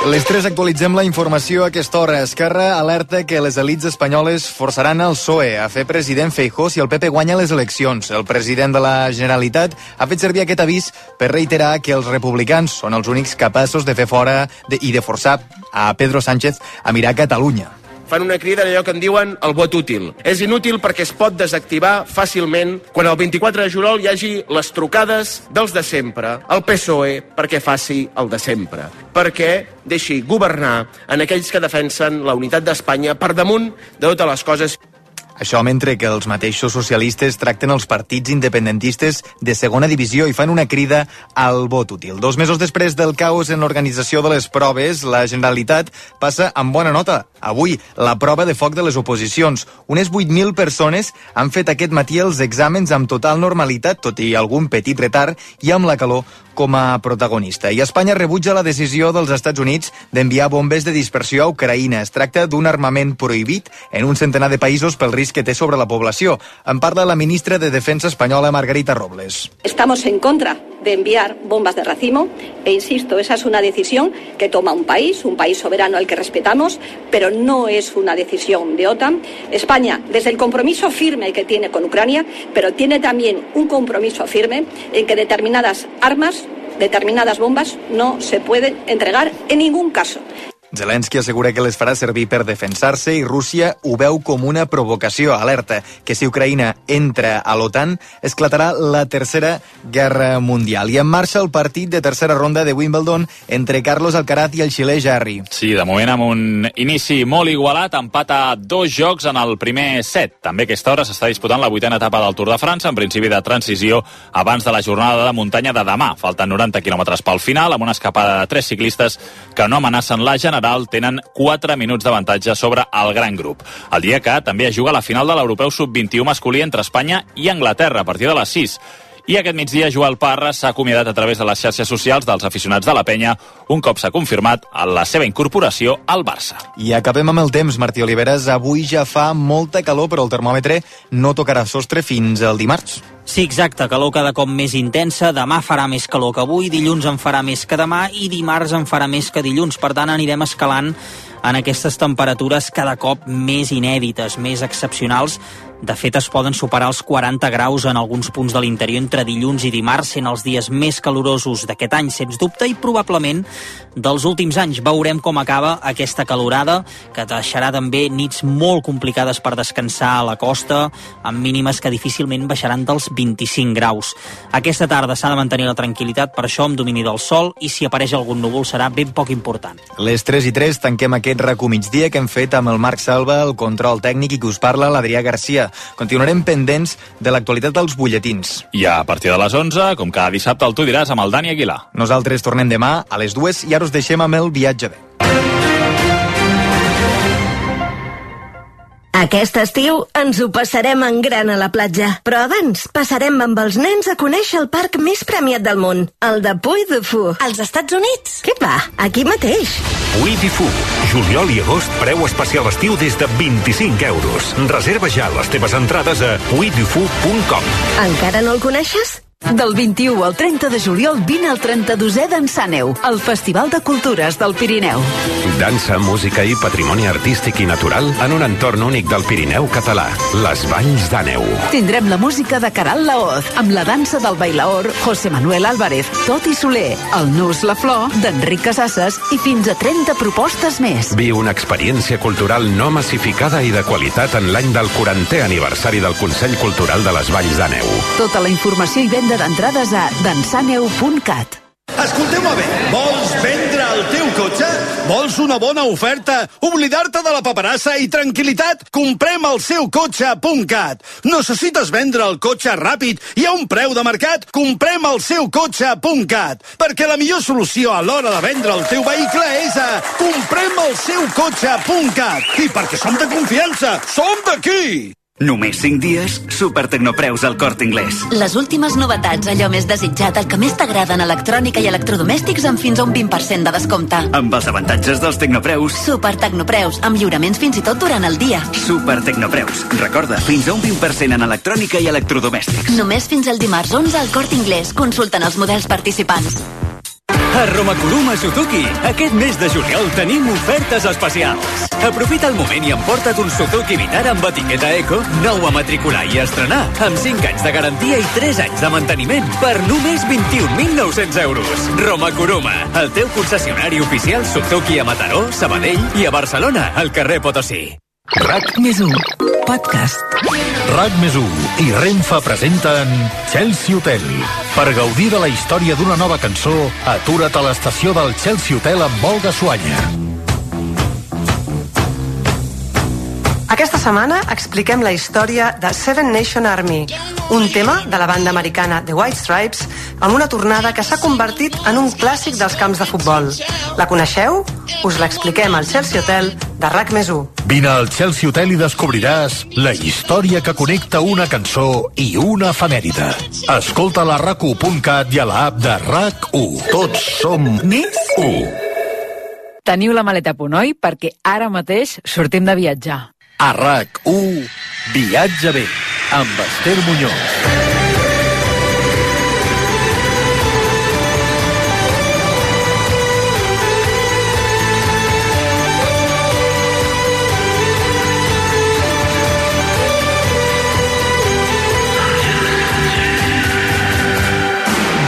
Les 3 actualitzem la informació a aquesta hora. Esquerra alerta que les elits espanyoles forçaran el PSOE a fer president Feijóo si el PP guanya les eleccions. El president de la Generalitat ha fet servir aquest avís per reiterar que els republicans són els únics capaços de fer fora i de forçar a Pedro Sánchez a mirar Catalunya. Fan una crida d'allò que en diuen el vot útil. És inútil perquè es pot desactivar fàcilment quan el 24 de juliol hi hagi les trucades dels de sempre, el PSOE perquè faci el de sempre, perquè deixi governar en aquells que defensen la unitat d'Espanya per damunt de totes les coses. Això mentre que els mateixos socialistes tracten els partits independentistes de segona divisió i fan una crida al vot útil. 2 mesos després del caos en l'organització de les proves, la Generalitat passa amb bona nota. Avui, la prova de foc de les oposicions. Unes 8.000 persones han fet aquest matí els exàmens amb total normalitat, tot i algun petit retard, i amb la calor com a protagonista. I Espanya rebutja la decisió dels Estats Units d'enviar bombes de dispersió a Ucraïna. Es tracta d'un armament prohibit en un centenar de països pel risc que té sobre la població. En parla la ministra de Defensa espanyola, Margarita Robles. Estamos en contra de enviar bombas de racimo e insisto, esa es una decisión que toma un país soberano al que respetamos, pero no es una decisión de OTAN. España, desde el compromiso firme que tiene con Ucrania, pero tiene también un compromiso firme en que determinadas armas, determinadas bombas no se pueden entregar en ningún caso. Zelensky assegura que les farà servir per defensar-se i Rússia ho veu com una provocació. Alerta que si Ucraïna entra a l'OTAN esclatarà la Tercera Guerra Mundial. I en marxa el partit de tercera ronda de Wimbledon entre Carlos Alcaraz i el xilè Jarry. Sí, de moment amb un inici molt igualat, empat a 2 jocs en el primer set. També a aquesta hora s'està disputant la 8a etapa del Tour de França, en principi de transició abans de la jornada de muntanya de demà. Falten 90 quilòmetres pel final, amb una escapada de 3 ciclistes que no amenacen la general, tenen 4 minuts d'avantatge sobre el gran grup. El dia que també es juga la final de l'Europeu Sub-21 masculí entre Espanya i Anglaterra a partir de les 6. I aquest migdia Joel Parra s'ha acomiadat a través de les xarxes socials dels aficionats de la penya un cop s'ha confirmat la seva incorporació al Barça. I acabem amb el temps, Martí Oliveres. Avui ja fa molta calor, però el termòmetre no tocarà sostre fins al dimarts. Sí, exacte, calor cada cop més intensa, demà farà més calor que avui, dilluns en farà més que demà i dimarts en farà més que dilluns, per tant anirem escalant en aquestes temperatures cada cop més inèdites, més excepcionals. De fet, es poden superar els 40 graus en alguns punts de l'interior entre dilluns i dimarts, sent els dies més calorosos d'aquest any, sens dubte, i probablement dels últims anys. Veurem com acaba aquesta calorada, que deixarà també nits molt complicades per descansar a la costa, amb mínimes que difícilment baixaran dels 25 graus. Aquesta tarda s'ha de mantenir la tranquil·litat, per això amb domini del sol, i si apareix algun núvol serà ben poc important. Les 3:03 tanquem aquest RACU migdia que hem fet amb el Marc Salva, el control tècnic, i que us parla l'Adrià Garcia. Continuarem pendents de l'actualitat dels butlletins. I a partir de les 11, com cada dissabte, el Tu diràs amb el Dani Aguilar. Nosaltres tornem demà a les 2 i ara us deixem amb el viatge bé. Aquest estiu ens ho passarem en gran a la platja. Però abans passarem amb els nens a conèixer el parc més premiat del món, el de Puy du Fou. Als Estats Units? Què va? Aquí mateix. Puy du Fou. Juliol i agost, preu especial estiu des de 25 euros. Reserva ja les teves entrades a puydufou.com. Encara no el coneixes? Del 21 al 30 de juliol vine al 32è Dansàneu, el Festival de Cultures del Pirineu. Dansa, música i patrimoni artístic i natural en un entorn únic del Pirineu català, les Valls d'Àneu. Tindrem la música de Caral Laoz, amb la dansa del bailaor José Manuel Álvarez, Toti Soler, el Nus La Flor, d'Enric Casasses i fins a 30 propostes més. Viu una experiència cultural no massificada i de qualitat en l'any del 40è aniversari del Consell Cultural de les Valls d'Àneu. Tota la informació i venda d'entrades a dansaneu.cat. Escolteu-me bé, vols vendre el teu cotxe? Vols una bona oferta? Oblidar-te de la paperassa i tranquil·litat? Comprem el seu cotxe.cat. Necessites vendre el cotxe ràpid i a un preu de mercat? Comprem el seu cotxe.cat. Perquè la millor solució a l'hora de vendre el teu vehicle és a comprem el seu cotxe.cat. I perquè som de confiança, som d'aquí! Només 5 dies, supertecnopreus al Corte Inglés. Les últimes novetats, allò més desitjat, el que més t'agrada en electrònica i electrodomèstics amb fins a un 20% de descompte. Amb els avantatges dels tecnopreus. Supertecnopreus, amb lliuraments fins i tot durant el dia. Supertecnopreus. Recorda, fins a un 20% en electrònica i electrodomèstics. Només fins al dimarts 11 al Corte Inglés. Consulten els models participants. A Romakuruma Suzuki, aquest mes de juliol tenim ofertes especials. Aprofita el moment i emporta't un Suzuki Vitara amb etiqueta Eco, nou a matricular i estrenar, amb 5 anys de garantia i 3 anys de manteniment per només 21.900 euros. Romakuruma, el teu concessionari oficial Suzuki a Mataró, Sabadell i a Barcelona, al carrer Potosí. RAC+1 Podcast. RAC+1 i Renfe presenten Chelsea Hotel. Per gaudir de la història d'una nova cançó, atura't a l'estació del Chelsea Hotel amb Olga Suanya. Aquesta setmana expliquem la història de Seven Nation Army, un tema de la banda americana The White Stripes amb una tornada que s'ha convertit en un clàssic dels camps de futbol. La coneixeu? Us l'expliquem al Chelsea Hotel de RAC+1. Vine al Chelsea Hotel i descobriràs la història que connecta una cançó i una efemèride. Escolta-la a RAC1.cat i a l'app de RAC1. Tots som més 1. Teniu la maleta a punt, oi? Perquè ara mateix sortim de viatjar. A RAC1, Viatge bé, amb Esther Muñoz.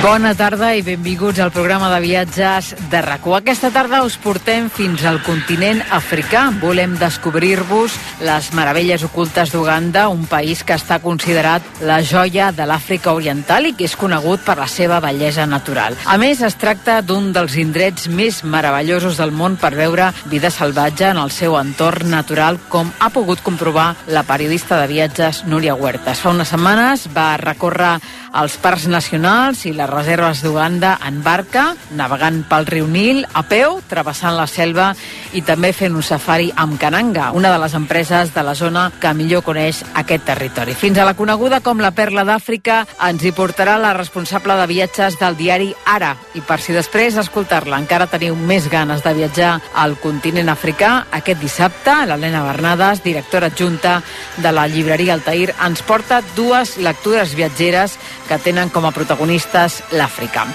Bona tarda i benvinguts al programa de viatges de RAC1. Aquesta tarda us portem fins al continent africà. Volem descobrir-vos les meravelles ocultes d'Uganda, un país que està considerat la joia de l'Àfrica Oriental i que és conegut per la seva bellesa natural. A més, es tracta d'un dels indrets més meravellosos del món per veure vida salvatge en el seu entorn natural, com ha pogut comprovar la periodista de viatges Núria Huertas. Fa unes setmanes va recórrer els parcs nacionals i les reserves d'Uganda en barca, navegant pel riu Nil, a peu, travessant la selva i també fent un safari amb Kananga, una de les empreses de la zona que millor coneix aquest territori. Fins a la coneguda com la Perla d'Àfrica ens hi portarà la responsable de viatges del diari Ara. I per si després d'escoltar-la encara teniu més ganes de viatjar al continent africà, aquest dissabte l'Helena Bernades, directora adjunta de la llibreria Altair, ens porta 2 lectures viatgeres que tenen com a protagonistes l'Àfrica.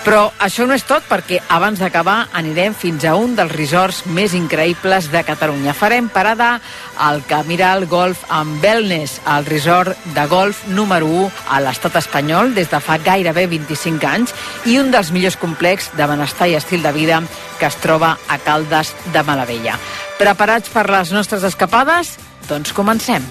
Però això no és tot, perquè abans d'acabar anirem fins a un dels resorts més increïbles de Catalunya. Farem parada al Camiral Golf and Wellness, el resort de golf número 1 a l'estat espanyol des de fa gairebé 25 anys i un dels millors complexos de benestar i estil de vida que es troba a Caldes de Malavella. Preparats per les nostres escapades? Doncs comencem.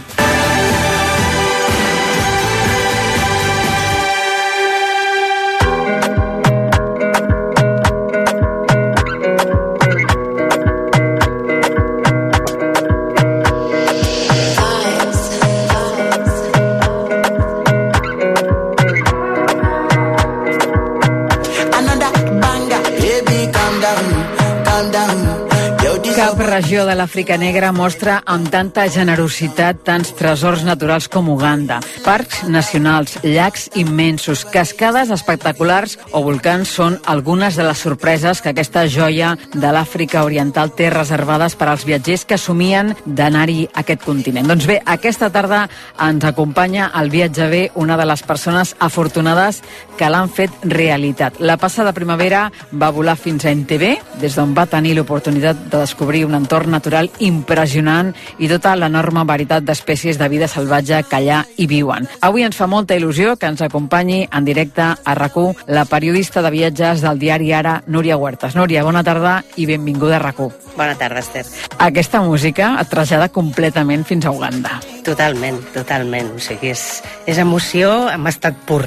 Cap regió de l'Àfrica Negra mostra amb tanta generositat tants tresors naturals com Uganda. Parcs nacionals, llacs immensos, cascades espectaculars o volcans són algunes de les sorpreses que aquesta joia de l'Àfrica Oriental té reservades per als viatgers que somien d'anar-hi a aquest continent. Doncs bé, aquesta tarda ens acompanya al Viatge bé una de les persones afortunades que l'han fet realitat. La passada primavera va volar fins a Entebbe, des d'on va tenir l'oportunitat de descobrir un entorn natural impressionant i tota l'enorme varietat d'espècies de vida salvatge que allà hi viuen. Avui ens fa molta il·lusió que ens acompanyi en directe a RAC1 la periodista de viatges del diari Ara, Núria Huertas. Núria, bona tarda i benvinguda a RAC1. Bona tarda, Esther. Aquesta música et trasllada completament fins a Uganda. Totalment, totalment. O sigui, és emoció en estat pur,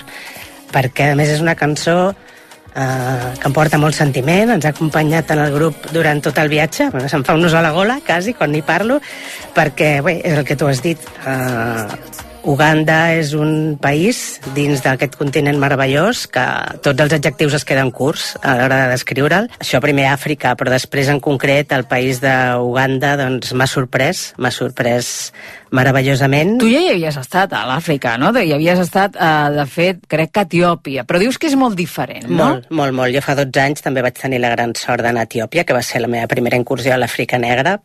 perquè a més és una cançó que em porta molt sentiment, ens ha acompanyat en el grup durant tot el viatge, bueno, se'm fa un nus a la gola, quasi, quan hi parlo, perquè, bé, és el que tu has dit, Uganda és un país dins d'aquest continent meravellós que tots els adjectius es queden curts a l'hora de descriure'l. Això primer Àfrica, però després en concret el país d'Uganda doncs m'ha sorprès meravellosament. Tu ja hi havies estat a l'Àfrica, no? Hi havies estat, de fet, crec que a Etiòpia, però dius que és molt diferent, no? Molt. Jo fa 12 anys també vaig tenir la gran sort d'anar a Etiòpia, que va ser la meva primera incursió a l'Àfrica negra,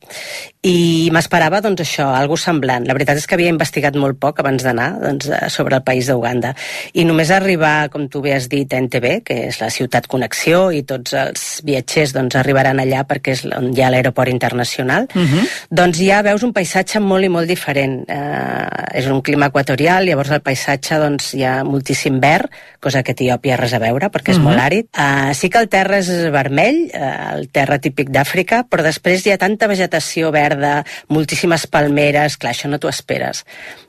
i m'esperava, doncs, això, algo semblant. La veritat és que havia investigat molt poc abans d'anar, doncs, sobre el país d'Uganda, i només arribar, com tu bé has dit, a Entebbe, que és la ciutat connexió, i tots els viatgers, doncs, arribaran allà perquè és on hi ha l'aeroport internacional, doncs ja veus un paisatge molt i molt diferent. És un clima equatorial, llavors el paisatge doncs, hi ha moltíssim verd, cosa que Etiòpia res a veure perquè és molt àrid. Sí que el terra és vermell, el terra típic d'Àfrica, però després hi ha tanta vegetació verda, moltíssimes palmeres, clar, això no t'ho esperes.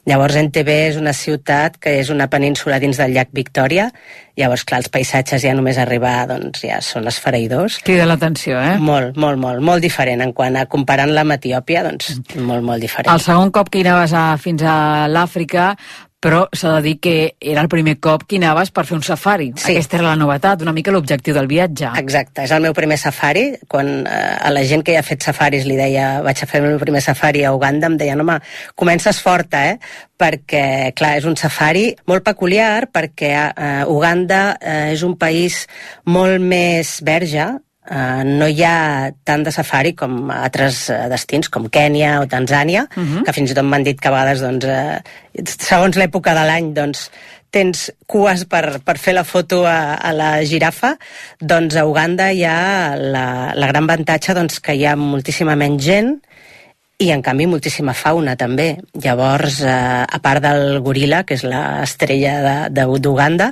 Llavors Entebbe és una ciutat que és una península dins del llac Victòria, llavors clar, els paisatges ja només arribar doncs ja són esfereïdors. Crida l'atenció, eh? Molt diferent en quant a comparant-la amb Etiòpia, doncs molt diferent. El segon cop que hi anaves fins a l'Àfrica, però s'ha de dir que era el primer cop que hi anaves per fer un safari. Sí. Aquesta era la novetat, una mica l'objectiu del viatge. Exacte, és el meu primer safari. Quan a la gent que ja ha fet safaris li deia vaig a fer el meu primer safari a Uganda, em deien, home, comences forta, perquè, clar, és un safari molt peculiar perquè Uganda és un país molt més verge. No hi ha tant de safari com altres destins, com Kènia o Tanzània, que fins i tot m'han dit que a vegades, doncs, segons l'època de l'any, doncs, tens cues per fer la foto a la girafa. Doncs a Uganda hi ha la gran avantatge doncs, que hi ha moltíssima menys gent i, en canvi, moltíssima fauna, també. Llavors, a part del goril·la, que és l'estrella d'Uganda,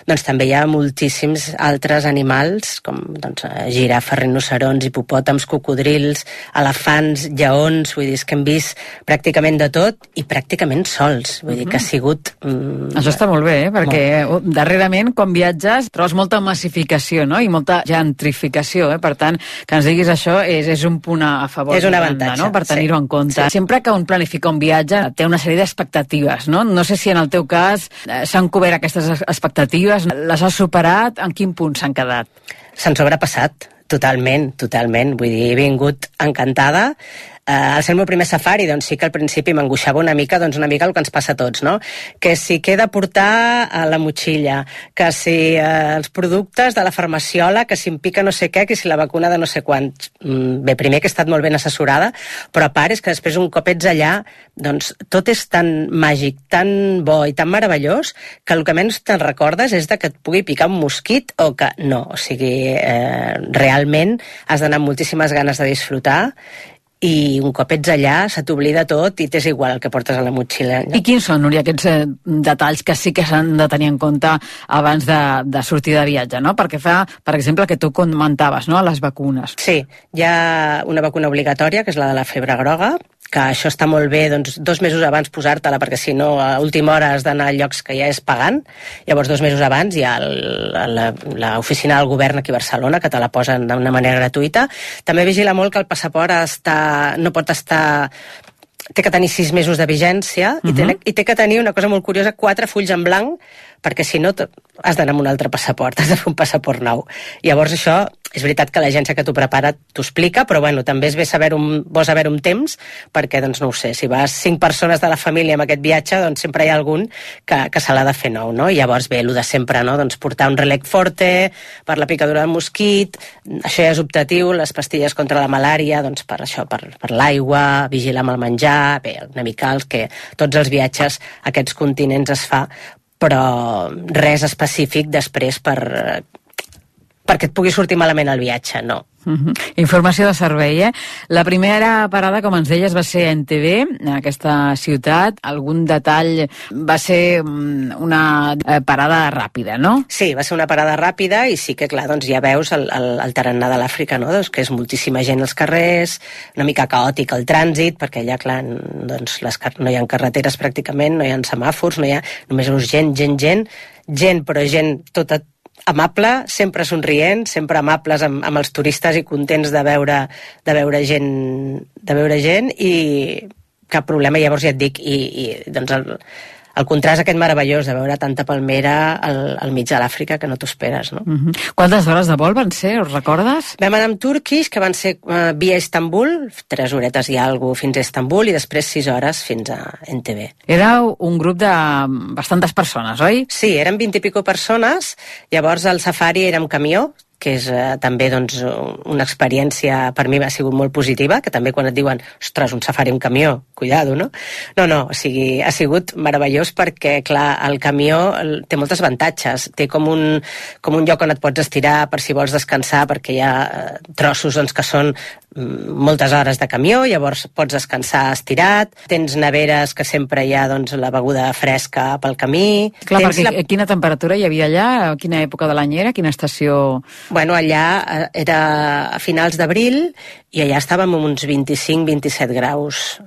doncs també hi ha moltíssims altres animals, com doncs, girafes, rinocerons, hipopòtams, cocodrils, elefants, lleons, vull dir, és que hem vist pràcticament de tot i pràcticament sols. Vull dir que ha sigut... Això està molt bé, perquè darrerament, quan viatges, trobes molta massificació, no?, i molta gentrificació, Per tant, que ens diguis això és un punt a favor. És un avantatge, no?, per tenir en compte. Sí. Sempre que un planifica un viatge té una sèrie d'expectatives, no? No sé si en el teu cas s'han cobert aquestes expectatives, les has superat, en quin punt s'han quedat? S'han sobrepassat, totalment. Vull dir, he vingut encantada. Al ser el meu primer safari, doncs sí que al principi m'angoixava una mica el que ens passa a tots, no? Que si què he de portar a la motxilla, que si els productes de la farmaciola, que si em pica no sé què, que si la vacuna de no sé quants. Bé, primer que he estat molt ben assessorada, però a part és que després un cop ets allà, doncs tot és tan màgic, tan bo i tan meravellós, que el que menys te'n recordes és de que et pugui picar un mosquit o que no. O sigui, realment has d'anar amb moltíssimes ganes de disfrutar i un cop ets allà se t'oblida tot i t'és igual el que portes a la motxilla. I quins són, Núria, aquests detalls que sí que s'han de tenir en compte abans de sortir de viatge, no? Perquè fa, per exemple, que tu comentaves, no?, les vacunes. Sí, hi ha una vacuna obligatòria, que és la de la febre groga, que això està molt bé, doncs, 2 mesos abans posar-te-la, perquè si no, a última hora has d'anar a llocs que ja és pagant. Llavors, 2 mesos abans hi ha l'oficina del govern aquí a Barcelona, que te la posen d'una manera gratuïta. També vigila molt que el passaport no pot estar... Té que tenir 6 mesos de vigència i té que tenir una cosa molt curiosa, 4 fulls en blanc, perquè si no has d'anar amb un altre passaport, has de fer un passaport nou. Llavors això, és veritat que l'agència que t'ho prepara t'ho explica, però bueno, també és bo saber un temps, perquè, doncs no ho sé, si vas 5 persones de la família amb aquest viatge, doncs sempre hi ha algun que se l'ha de fer nou, no? I llavors ve el de sempre, no? Doncs portar un relec forte per la picadura de mosquit, això ja és optatiu, les pastilles contra la malària, doncs per això, per l'aigua, vigilar amb el menjar, bé, una mica els que tots els viatges a aquests continents es fa, però res específic després perquè et pugui sortir malament el viatge, no. Informació de servei, La primera parada, com ens deies, va ser a Entebbe, en aquesta ciutat. Algun detall va ser una parada ràpida, no? Sí, va ser una parada ràpida i sí que, clar, doncs ja veus el tarannà de l'Àfrica, no? Doncs que és moltíssima gent als carrers, una mica caòtic el trànsit, perquè allà, clar, doncs no hi ha carreteres pràcticament, no hi ha semàfors, no hi ha... Només veus gent, però gent tota amable, sempre somrient, sempre amables amb els turistes i contents de veure gent i cap problema. Llavors ja et dic, i doncs el contrast aquest meravellós de veure tanta palmera al mig de l'Àfrica que no t'ho esperes, no? Quantes hores de vol van ser, us recordes? Vam anar amb Turkish, que van ser via Istanbul, 3 horetes i alguna fins a Istanbul, i després 6 hores fins a Entebbe. Éreu un grup de bastantes persones, oi? Sí, eren 20 i pico persones, llavors el safari era amb camió, que és també doncs, una experiència per mi ha sigut molt positiva, que també quan et diuen, ostres, un safari amb camió, cuidado, no? No, o sigui, ha sigut meravellós perquè, clar, el camió té moltes avantatges, té com un lloc on et pots estirar per si vols descansar, perquè hi ha trossos doncs, que són moltes hores de camió, llavors pots descansar estirat, tens neveres que sempre hi ha doncs, la beguda fresca pel camí. Clar, perquè quina temperatura hi havia allà? A quina època de l'any era? Quina estació? Bueno, allà era a finals d'abril i allà estàvem amb uns 25-27 graus.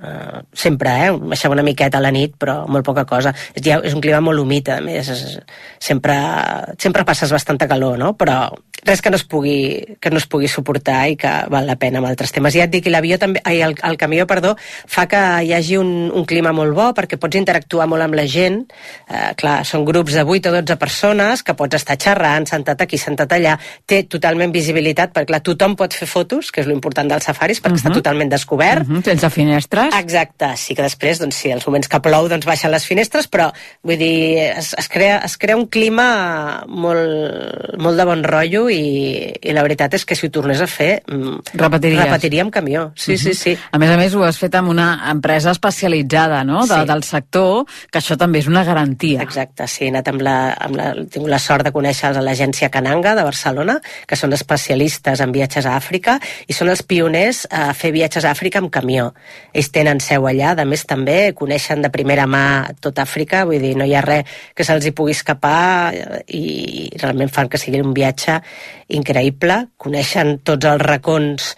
Sempre, baixava una miqueta a la nit, però molt poca cosa. És un clima molt humit, a més. Sempre passes bastanta calor, no? Però res que no es pugui suportar i que val la pena amb altres temes. I ja et dic, el camió, fa que hi hagi un clima molt bo perquè pots interactuar molt amb la gent. Clar, són grups de 8 o 12 persones que pots estar xerrant, sentat aquí, sentat allà. Té totalment visibilitat, perquè clar, tothom pot fer fotos, que és l'important dels safaris, perquè està totalment descobert. Sense finestres. Exacte, sí que després, doncs sí, els moments que plou, doncs baixen les finestres, però vull dir, es crea un clima molt de bon rotllo i la veritat és que si ho tornés a fer repetiria amb camió. Sí. A més, ho has fet amb una empresa especialitzada, no? Del sector, que això també és una garantia. Exacte, sí, he anat tinc la sort de conèixer l'agència Kananga de Barcelona, que són especialistes en viatges a Àfrica i són els pioners a fer viatges a Àfrica amb camió. Ells tenen seu allà, a més també coneixen de primera mà tot Àfrica, vull dir, no hi ha res que se'ls hi pugui escapar i realment fan que sigui un viatge increïble, coneixen tots els racons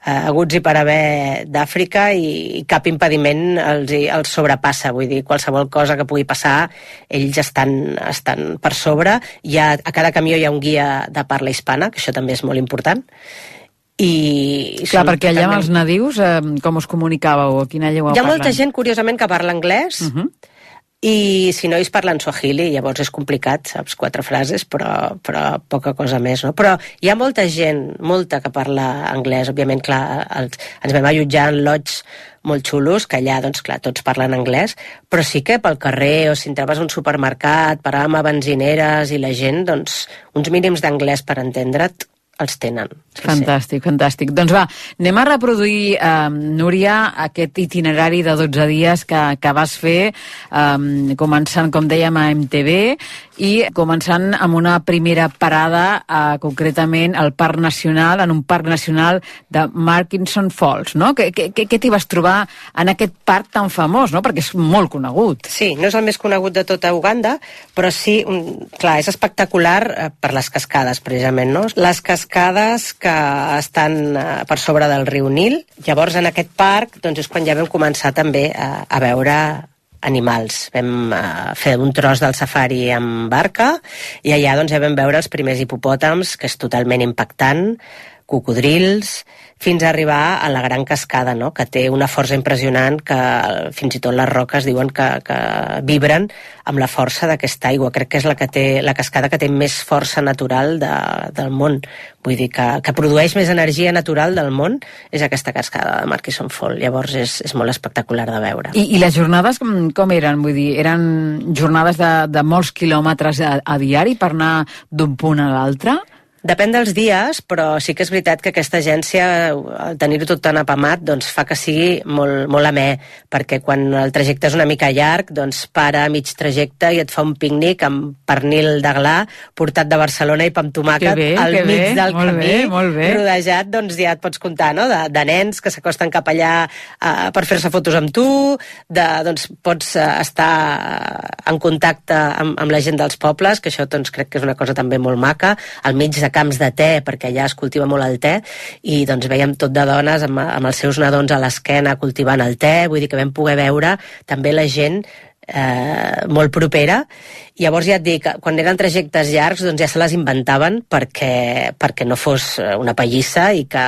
haguts i per haver d'Àfrica i cap impediment els sobrepassa, vull dir, qualsevol cosa que pugui passar, ells estan per sobre. A cada camió hi ha un guia de parla hispana, que això també és molt important. Clar, perquè allà amb els nadius, com us comunicàveu? Quina llengua parlen? Hi ha molta gent, curiosament, que parla anglès, i si no ells parlen swahili, llavors és complicat, saps, 4 frases, però poca cosa més, no? Però hi ha molta gent, que parla anglès, òbviament, clar, ens vam allotjar en lodges molt xulos, que allà, doncs, clar, tots parlen anglès, però sí que pel carrer, o si entraves a un supermercat, paràvem a benzineres, i la gent, doncs, uns mínims d'anglès per entendre't, els tenen. Fantàstic. Doncs va, anem a reproduir, Núria, aquest itinerari de 12 dies que vas fer, començant, com dèiem, a Entebbe i començant amb una primera parada, concretament en un parc nacional de Murchison Falls, no? Què t'hi vas trobar en aquest parc tan famós, no? Perquè és molt conegut. Sí, no és el més conegut de tota Uganda, però sí, clar, és espectacular per les cascades, precisament, no? Les cascades que estan per sobre del riu Nil. Llavors, en aquest parc, doncs, és quan ja vam començar també a veure animals. Vam fer un tros del safari amb barca i allà doncs, ja vam veure els primers hipopòtams, que és totalment impactant, cocodrils, fins a arribar a la gran cascada, no? Que té una força impressionant, que fins i tot les roques diuen que vibren amb la força d'aquesta aigua. Crec que és la cascada que té més força natural del món. Vull dir que produeix més energia natural del món, és aquesta cascada de Murchison Falls. Llavors és molt espectacular de veure. I les jornades com eren? Vull dir, eren jornades de molts quilòmetres a diari per anar d'un punt a l'altre? Depèn dels dies, però sí que és veritat que aquesta agència, al tenir-ho tot tan apamat, doncs fa que sigui molt amè, perquè quan el trajecte és una mica llarg, doncs para a mig trajecte i et fa un pícnic amb pernil de gla portat de Barcelona i pa amb tomàquet al mig del camí, rodejat, doncs ja et pots comptar, no?, de nens que s'acosten cap allà per fer-se fotos amb tu, doncs pots estar en contacte amb la gent dels pobles, que això doncs crec que és una cosa també molt maca, al mig de camps de te, perquè allà es cultiva molt el te, i doncs veiem tot de dones amb els seus nadons a l'esquena cultivant el te, vull dir que vam poder veure també la gent molt propera. Llavors ja et dic, quan eren trajectes llargs doncs ja se les inventaven perquè no fos una pallissa i que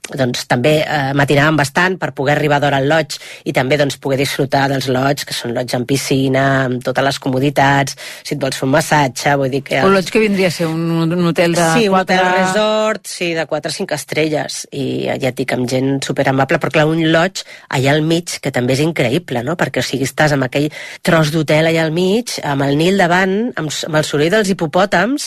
doncs, també matinaven bastant per poder arribar d'hora al lodge i també doncs, poder disfrutar dels lodge, que són lodge amb piscina, amb totes les comoditats, si et vols fer un massatge, vull dir que... Un lodge que vindria a ser un hotel de 4... Sí, un hotel resort, sí, de 4 o 5 estrelles, i ja et dic, amb gent superamable, però clar, un lodge allà al mig, que també és increïble, no? Perquè o sigui, estàs amb aquell tros d'hotel allà al mig, amb el Nil davant, amb el soroll dels hipopòtams,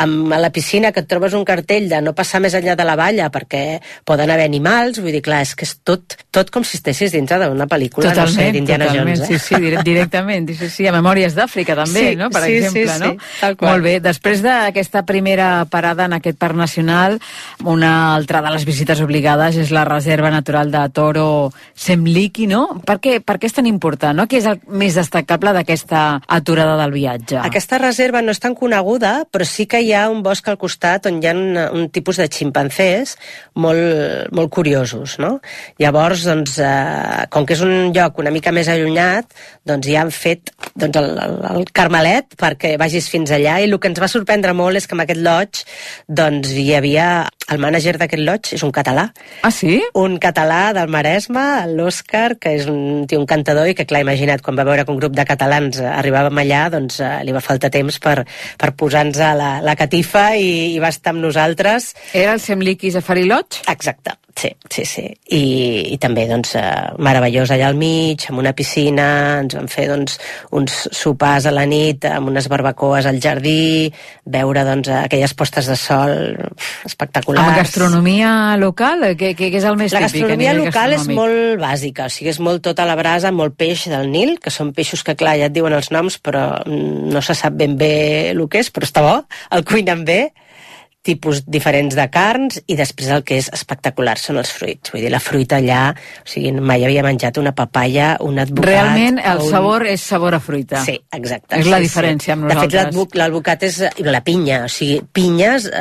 amb la piscina que et trobes un cartell de no passar més enllà de la valla perquè poden haver animals, vull dir, clar, és que és tot com si estessis dintre d'una pel·lícula, totalment, no sé, d'Indiana Jones. Sí, directament, sí, a Memòries d'Àfrica també, sí, no? Per sí, exemple, sí, no? Tal qual. Molt bé, després d'aquesta primera parada en aquest parc nacional, una altra de les visites obligades és la reserva natural de Toro Semliki, no? Per què és tan important, no? Què és el més destacable d'aquesta aturada del viatge? Aquesta reserva no és tan coneguda, però sí que hi ha un bosc al costat on hi ha un tipus de ximpancers molt curiosos, no? Llavors, doncs, com que és un lloc una mica més allunyat, doncs ja han fet doncs, el carmelet perquè vagis fins allà, i el que ens va sorprendre molt és que en aquest lodge doncs, hi havia... El mànager d'aquest lodge és un català. Ah, sí? Un català del Maresme, l'Òscar, que és un cantador i que, clar, imagina't, quan va veure que un grup de catalans arribàvem allà, doncs li va faltar temps per posar-nos a la catifa i va estar amb nosaltres. Era el Semliki Safari Lodge? Exacte, sí. I també, doncs, meravellós allà al mig, amb una piscina, ens van fer, doncs, uns sopars a la nit amb unes barbacoes al jardí, veure, doncs, aquelles postes de sol espectaculars. Amb gastronomia local? Què és el més típic? La gastronomia local és molt bàsica, o sigui, és molt tota la brasa, molt peix del Nil, que són peixos que, clar, ja et diuen els noms, però no se sap ben bé el que és, però està bo, el cuinen bé, tipus diferents de carns, i després el que és espectacular són els fruits. Vull dir, la fruita allà, o sigui, mai havia menjat una papaya, un advocat... Realment el sabor és sabor a fruita. Sí, exacte. És la diferència amb nosaltres. De fet, l'advocat és la pinya, o sigui, pinyes...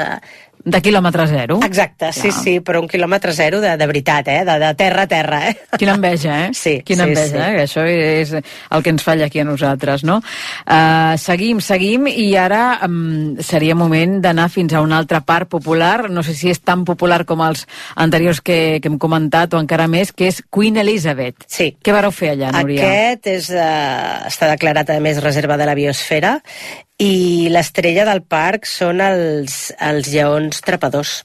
De quilòmetre zero? Exacte, sí, però un quilòmetre zero de veritat, de terra a terra. Quina enveja, eh? Sí. Quina enveja, eh? Això és el que ens falla aquí a nosaltres, no? Seguim, i ara seria moment d'anar fins a un altre parc popular, no sé si és tan popular com els anteriors que hem comentat, o encara més, que és Queen Elizabeth. Sí. Què vareu fer allà, Núria? Aquest està declarat, a més, reserva de la biosfera, i l'estrella del parc són els lleons trepadors,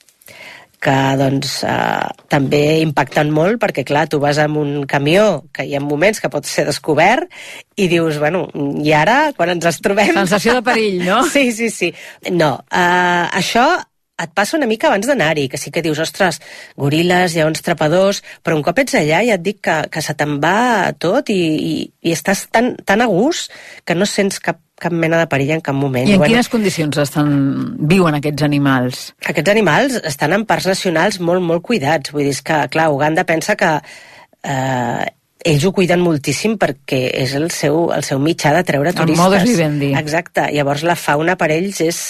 que doncs també impacten molt, perquè clar, tu vas amb un camió que hi ha moments que pot ser descobert i dius, bueno, i ara quan ens els trobem... Sensació de perill, no? Sí. No, això et passa una mica abans d'anar-hi, que sí que dius, ostres, goril·les, lleons trepadors, però un cop ets allà ja et dic que se te'n va tot i estàs tan a gust que no sents cap mena de perill en cap moment. I en quines condicions viuen aquests animals? Aquests animals estan en parcs nacionals molt cuidats. Vull dir, és que, clar, Uganda pensa que ells ho cuiden moltíssim perquè és el seu mitjà de treure turistes. El modus vivendi. Exacte. Llavors la fauna per ells és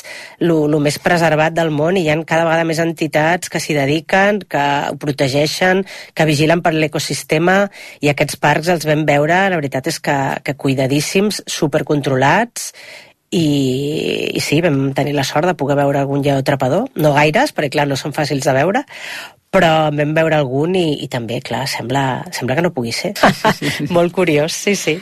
el més preservat del món, i hi ha cada vegada més entitats que s'hi dediquen, que ho protegeixen, que vigilen per l'ecosistema, i aquests parcs els vam veure, la veritat és que cuidadíssims, supercontrolats, i sí, vam tenir la sort de poder veure algun lleó trepador, no gaires, perquè clar, no són fàcils de veure, però vam veure algun i també, clar, sembla que no pugui ser. Sí. Molt curiós, sí.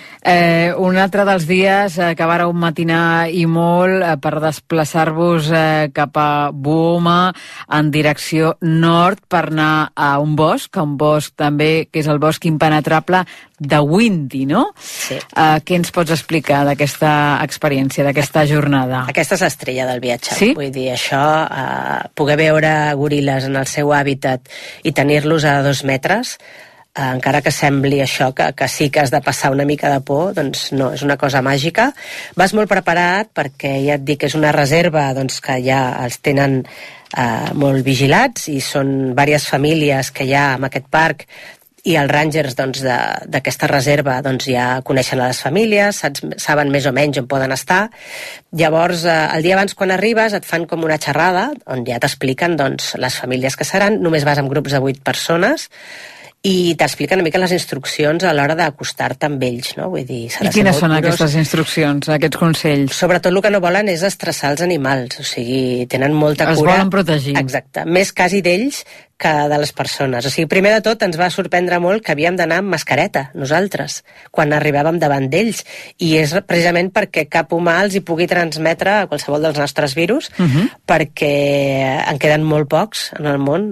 Un altre dels dies que vareu matinar i molt per desplaçar-vos cap a Buoma en direcció nord per anar a un bosc també, que és el bosc impenetrable de Windy, no? Sí. Què ens pots explicar d'aquesta experiència, d'aquesta jornada? Aquesta és l'estrella del viatge. Sí? Vull dir, això, poder veure goril·les en el seu hàbitat i tenir-los a 2 metres, encara que sembli això, que sí que has de passar una mica de por, doncs no, és una cosa màgica. Vas molt preparat perquè ja et dic que és una reserva doncs, que ja els tenen molt vigilats, i són diverses famílies que hi ha en aquest parc, i els rangers doncs, d'aquesta reserva doncs, ja coneixen a les famílies, saben més o menys on poden estar. Llavors, el dia abans quan arribes et fan com una xerrada on ja t'expliquen doncs, les famílies que seran. Només vas amb grups de 8 persones, i t'explica una mica les instruccions a l'hora d'acostar-te amb ells, no? Vull dir, I quines són aquestes instruccions, aquests consells? Sobretot el que no volen és estressar els animals, o sigui, tenen molta cura. Els volen protegir. Exacte, més quasi d'ells que de les persones. O sigui, primer de tot ens va sorprendre molt que havíem d'anar amb mascareta, nosaltres, quan arribàvem davant d'ells, i és precisament perquè cap humà els hi pugui transmetre qualsevol dels nostres virus, perquè en queden molt pocs en el món,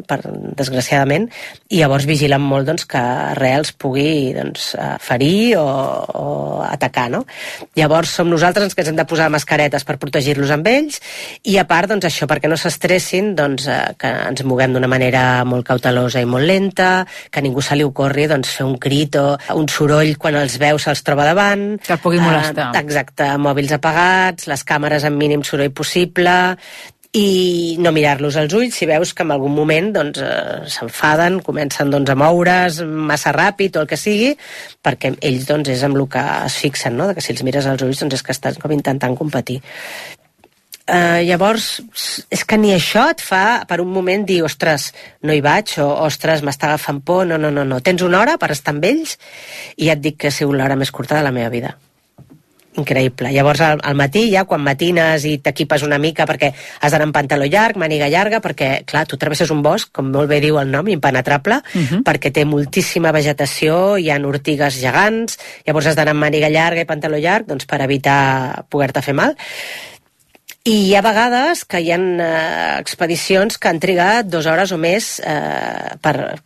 desgraciadament, i llavors vigilen molt doncs, que res els pugui ferir o atacar, no? Llavors som nosaltres els que ens hem de posar mascaretes per protegir-los amb ells, i a part, doncs, això, perquè no s'estressin, doncs, que ens moguem d'una manera molt cautelosa i molt lenta, que a ningú se li ocorri fer un crit o un soroll quan els veu se'ls troba davant. Que el pugui molestar. Exacte, mòbils apagats, les càmeres amb mínim soroll possible, i no mirar-los als ulls si veus que en algun moment s'enfaden, comencen a moure's massa ràpid o el que sigui, perquè ells és amb el que es fixen, no? Que si els mires als ulls és que estan com intentant competir. Llavors, és que ni això et fa per un moment dir, ostres, no hi vaig, o ostres, m'està agafant por, no. Tens una hora per estar amb ells i ja et dic que ha sigut l'hora més curta de la meva vida. Increïble. Llavors al matí ja quan matines i t'equipes una mica perquè has d'anar amb pantaló llarg, màniga llarga, perquè clar, tu travesses un bosc, com molt bé diu el nom, impenetrable, perquè té moltíssima vegetació, hi ha ortigues gegants, llavors has d'anar amb màniga llarga i pantaló llarg per evitar poder-te fer mal. I hi ha vegades que hi ha expedicions que han trigat 2 hores o més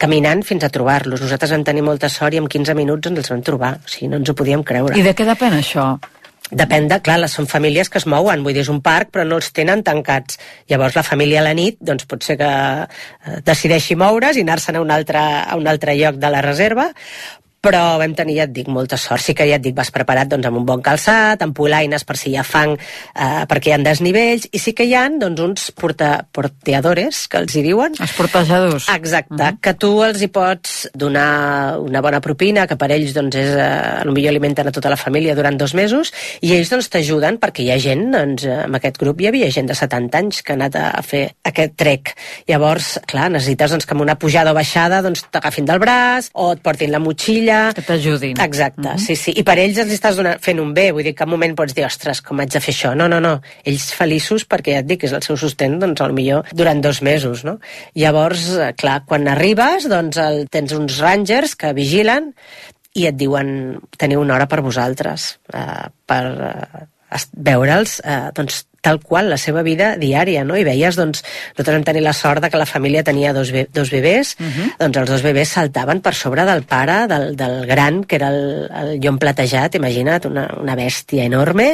caminant fins a trobar-los. Nosaltres vam tenir molta sort i en 15 minuts ens els vam trobar. O sigui, no ens ho podíem creure. I de què depèn això? Depèn de, clar, són famílies que es mouen, vull dir, és un parc, però no els tenen tancats. Llavors la família a la nit, doncs pot ser que decideixi moure's i anar-se'n a un altre lloc de la reserva, però vam tenir, ja et dic, molta sort. Sí que ja et dic, vas preparat amb un bon calçat, amb polaines per si hi ha fang, perquè hi ha desnivells, i sí que hi ha uns porteadores, que els hi diuen. Els portejadors. Exacte, que tu els hi pots donar una bona propina, que per ells és, potser alimenten a tota la família durant 2 mesos, i ells t'ajuden, perquè hi ha gent, en aquest grup hi havia gent de 70 anys que ha anat a fer aquest trek. Llavors, clar, necessites que amb una pujada o baixada t'agafin del braç, o et portin la motxilla, que t'ajudin. Exacte, sí. I per ells els estàs fent un bé, vull dir que en un moment pots dir, ostres, com haig de fer això? No. Ells feliços perquè ja et dic, és el seu sostén, potser durant 2 mesos, no? Llavors, clar, quan arribes, tens uns rangers que vigilen i et diuen, teniu una hora per vosaltres, per veure'ls, tal qual, la seva vida diària, no? I veies, nosaltres vam tenir la sort que la família tenia dos bebès, els 2 bebès saltaven per sobre del pare, del gran, que era el llom platejat, imagina't, una bèstia enorme,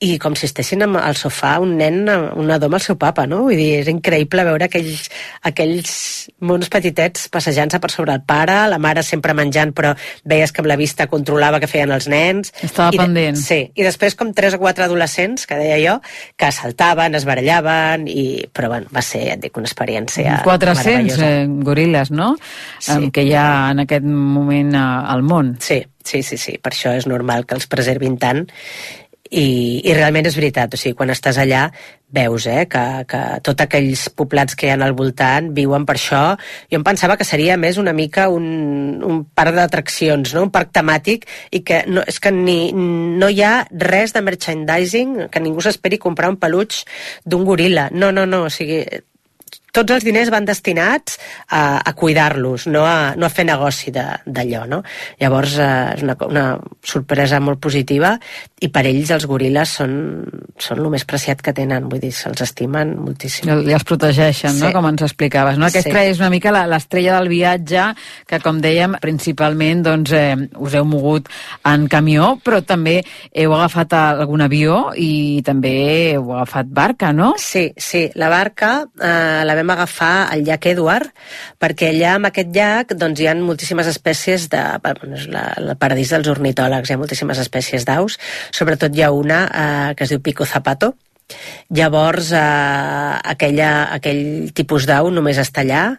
i com si estessin al sofà un nen, un nadó amb el seu papa, no? Vull dir, és increïble veure aquells mons petitets passejant-se per sobre el pare, la mare sempre menjant, però veies que amb la vista controlava què feien els nens. Estava pendent. Sí, i després com 3 o 4 adolescents, que deia jo, que saltaven, es barallaven, però bueno, va ser, ja et dic, una experiència 400 goril·les, no? Sí. Que hi ha en aquest moment al món. Sí, per això és normal que els preservin tant, i realment és veritat, o sigui, quan estàs allà veus que tots aquells poblats que hi ha al voltant viuen per això. Jo em pensava que seria més una mica un parc d'atraccions, no? Un parc temàtic, i que és que no hi ha res de merchandising, que ningú s'esperi comprar un peluig d'un goril·la. No, o sigui, tots els diners van destinats a cuidar-los, no a fer negoci d'allò, no? Llavors és una sorpresa molt positiva, i per ells els goril·les són el més preciat que tenen, vull dir, se'ls estimen moltíssim. I els protegeixen, no? Com ens explicaves, no? Aquesta és una mica l'estrella del viatge, que com dèiem, principalment us heu mogut en camió, però també heu agafat algun avió i també heu agafat barca, no? Sí, la barca la vam agafar al llac Edward, perquè allà en aquest llac hi ha moltíssimes espècies el paradís dels ornitòlegs, hi ha moltíssimes espècies d'aus, sobretot hi ha una que es diu pico zapato. Llavors aquell tipus d'au només està allà,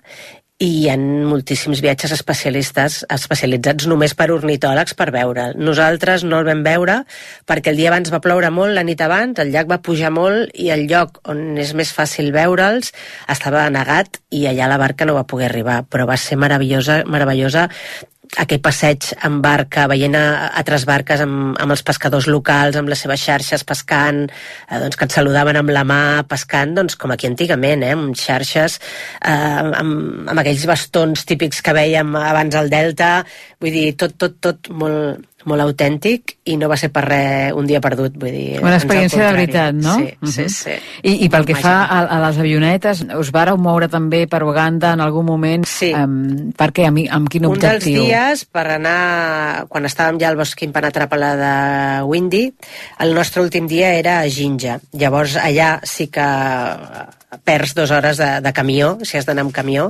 i hi ha moltíssims viatges especialitzats només per ornitòlegs per veure'l. Nosaltres no el vam veure perquè el dia abans va ploure molt, la nit abans, el llac va pujar molt i el lloc on és més fàcil veure'ls estava negat i allà la barca no va poder arribar, però va ser meravellosa aquell passeig amb barca, veient altres barques amb els pescadors locals, amb les seves xarxes pescant, doncs que et saludaven amb la mà pescant, doncs com aquí antigament, amb xarxes, amb aquells bastons típics que vèiem abans al Delta, vull dir, tot molt autèntic i no va ser per res un dia perdut, vull dir... Una experiència de veritat, no? Sí. I pel que fa a les avionetes, us vareu moure també per Uganda en algun moment? Sí. Per què? Amb quin objectiu? Un dels dies, per anar, quan estàvem ja al bosc impenetrable de Windy, el nostre últim dia era a Jinja. Llavors allà sí que perds 2 hores de camió, si has d'anar amb camió,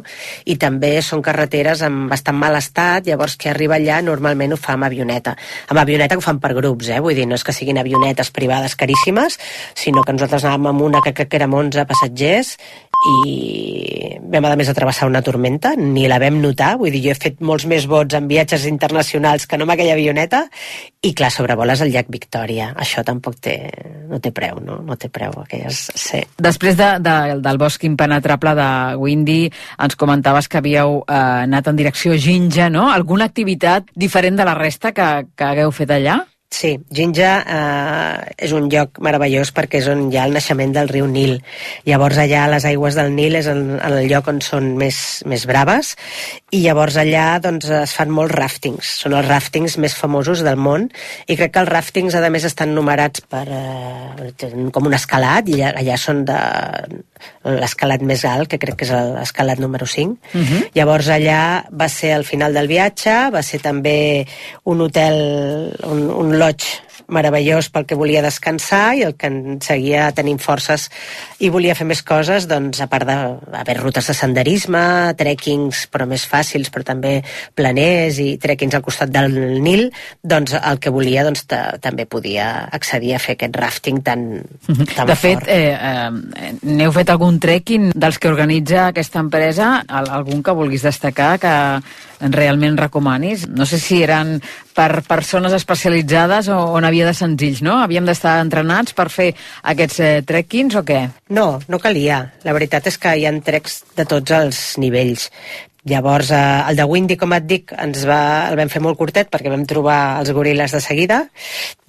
i també són carreteres en bastant mal estat, llavors qui arriba allà normalment ho fa amb avioneta. Amb avioneta ho fan per grups, vull dir, no és que siguin avionetes privades caríssimes, sinó que nosaltres anàvem amb una que crec que érem 11 passatgers i vam a més a travessar una tormenta, ni la vam notar, vull dir, jo he fet molts més vots en viatges internacionals que no amb aquella avioneta, i clar, sobrevoles el llac Victòria, això tampoc no té preu, no? No té preu, aquelles... Sí. Després del bosc impenetrable de Windy, ens comentaves que havíeu anat en direcció Jinja, no? Alguna activitat diferent de la resta que hagueu fet allà? Sí, Jinja és un lloc meravellós perquè és on hi ha el naixement del riu Nil. Llavors allà les aigües del Nil és el lloc on són més braves i llavors allà doncs, es fan molts ràftings. Són els ràftings més famosos del món i crec que els ràftings a més estan numerats com un escalat i allà són l'escalat més alt, que crec que és l'escalat número 5. Llavors allà va ser al final del viatge, va ser també un hotel, un lodge meravellós pel que volia descansar i el que ens seguia tenint forces i volia fer més coses, doncs a part d'haver rutes de senderisme, trekkings però més fàcils, però també planers i trekkings al costat del Nil, doncs el que volia doncs, també podia accedir a fer aquest rafting tan fort. De fet, n'heu fet algun trekking dels que organitza aquesta empresa? Algun que vulguis destacar que realment recomanis? No sé si eren per persones especialitzades o n'havia de senzills, no? Havíem d'estar entrenats per fer aquests trekkings o què? No calia. La veritat és que hi ha treks de tots els nivells. Llavors, el de Windy, com et dic, el vam fer molt curtet perquè vam trobar els goril·les de seguida.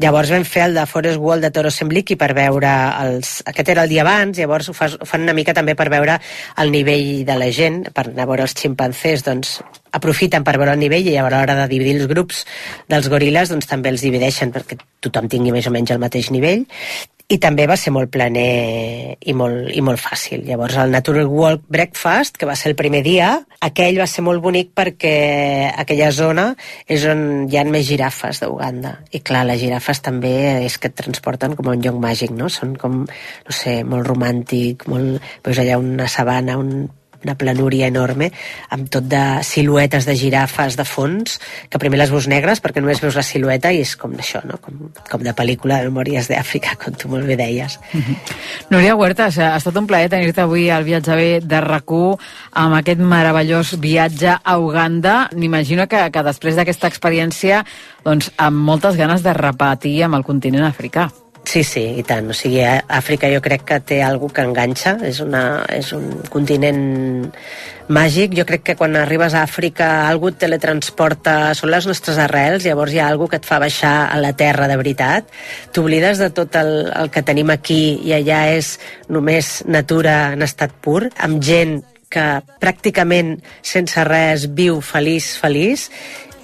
Llavors vam fer el de Forest Wall de Toro Sembliki per veure aquest era el dia abans, llavors ho fan una mica també per veure el nivell de la gent, per anar a veure els ximpanzés, doncs aprofiten per veure el nivell i a l'hora de dividir els grups dels goril·les doncs també els divideixen perquè tothom tingui més o menys el mateix nivell. I també va ser molt planer i molt fàcil. Llavors el Natural Walk Breakfast, que va ser el primer dia, aquell va ser molt bonic perquè aquella zona és on hi ha més girafes d'Uganda. I clar, les girafes també és que et transporten com a un lloc màgic, no? Són com, no sé, molt romàntic, veus allà una sabana, una planúria enorme, amb tot de siluetes de girafes de fons, que primer les veus negres perquè només veus la silueta i és com això, no? Com de pel·lícula de Memòries d'Àfrica, com tu molt bé deies. Núria Huertas, ha estat un plaer tenir-te avui al Viatge B de RAC1 amb aquest meravellós viatge a Uganda. M'imagino que després d'aquesta experiència, doncs, amb moltes ganes de repetir amb el continent africà. Sí, i tant. O sigui, Àfrica jo crec que té alguna que enganxa. És un continent màgic. Jo crec que quan arribes a Àfrica algú et teletransporta, són les nostres arrels, llavors hi ha alguna que et fa baixar a la terra de veritat. T'oblides de tot el que tenim aquí i allà és només natura en estat pur, amb gent que pràcticament sense res viu feliç,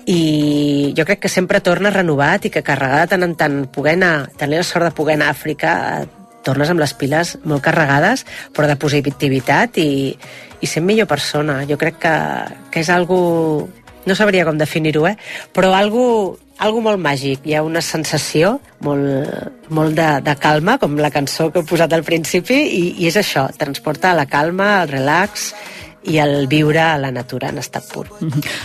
i jo crec que sempre torna renovat i que carregada tant en tant tenir la sort de poder anar a Àfrica tornes amb les piles molt carregades però de positivitat i sent millor persona. Jo crec que és algo, no sabria com definir-ho, però algo molt màgic. Hi ha una sensació molt de calma, com la cançó que he posat al principi, i és això, transporta la calma, el relax i el viure a la natura en estat pur.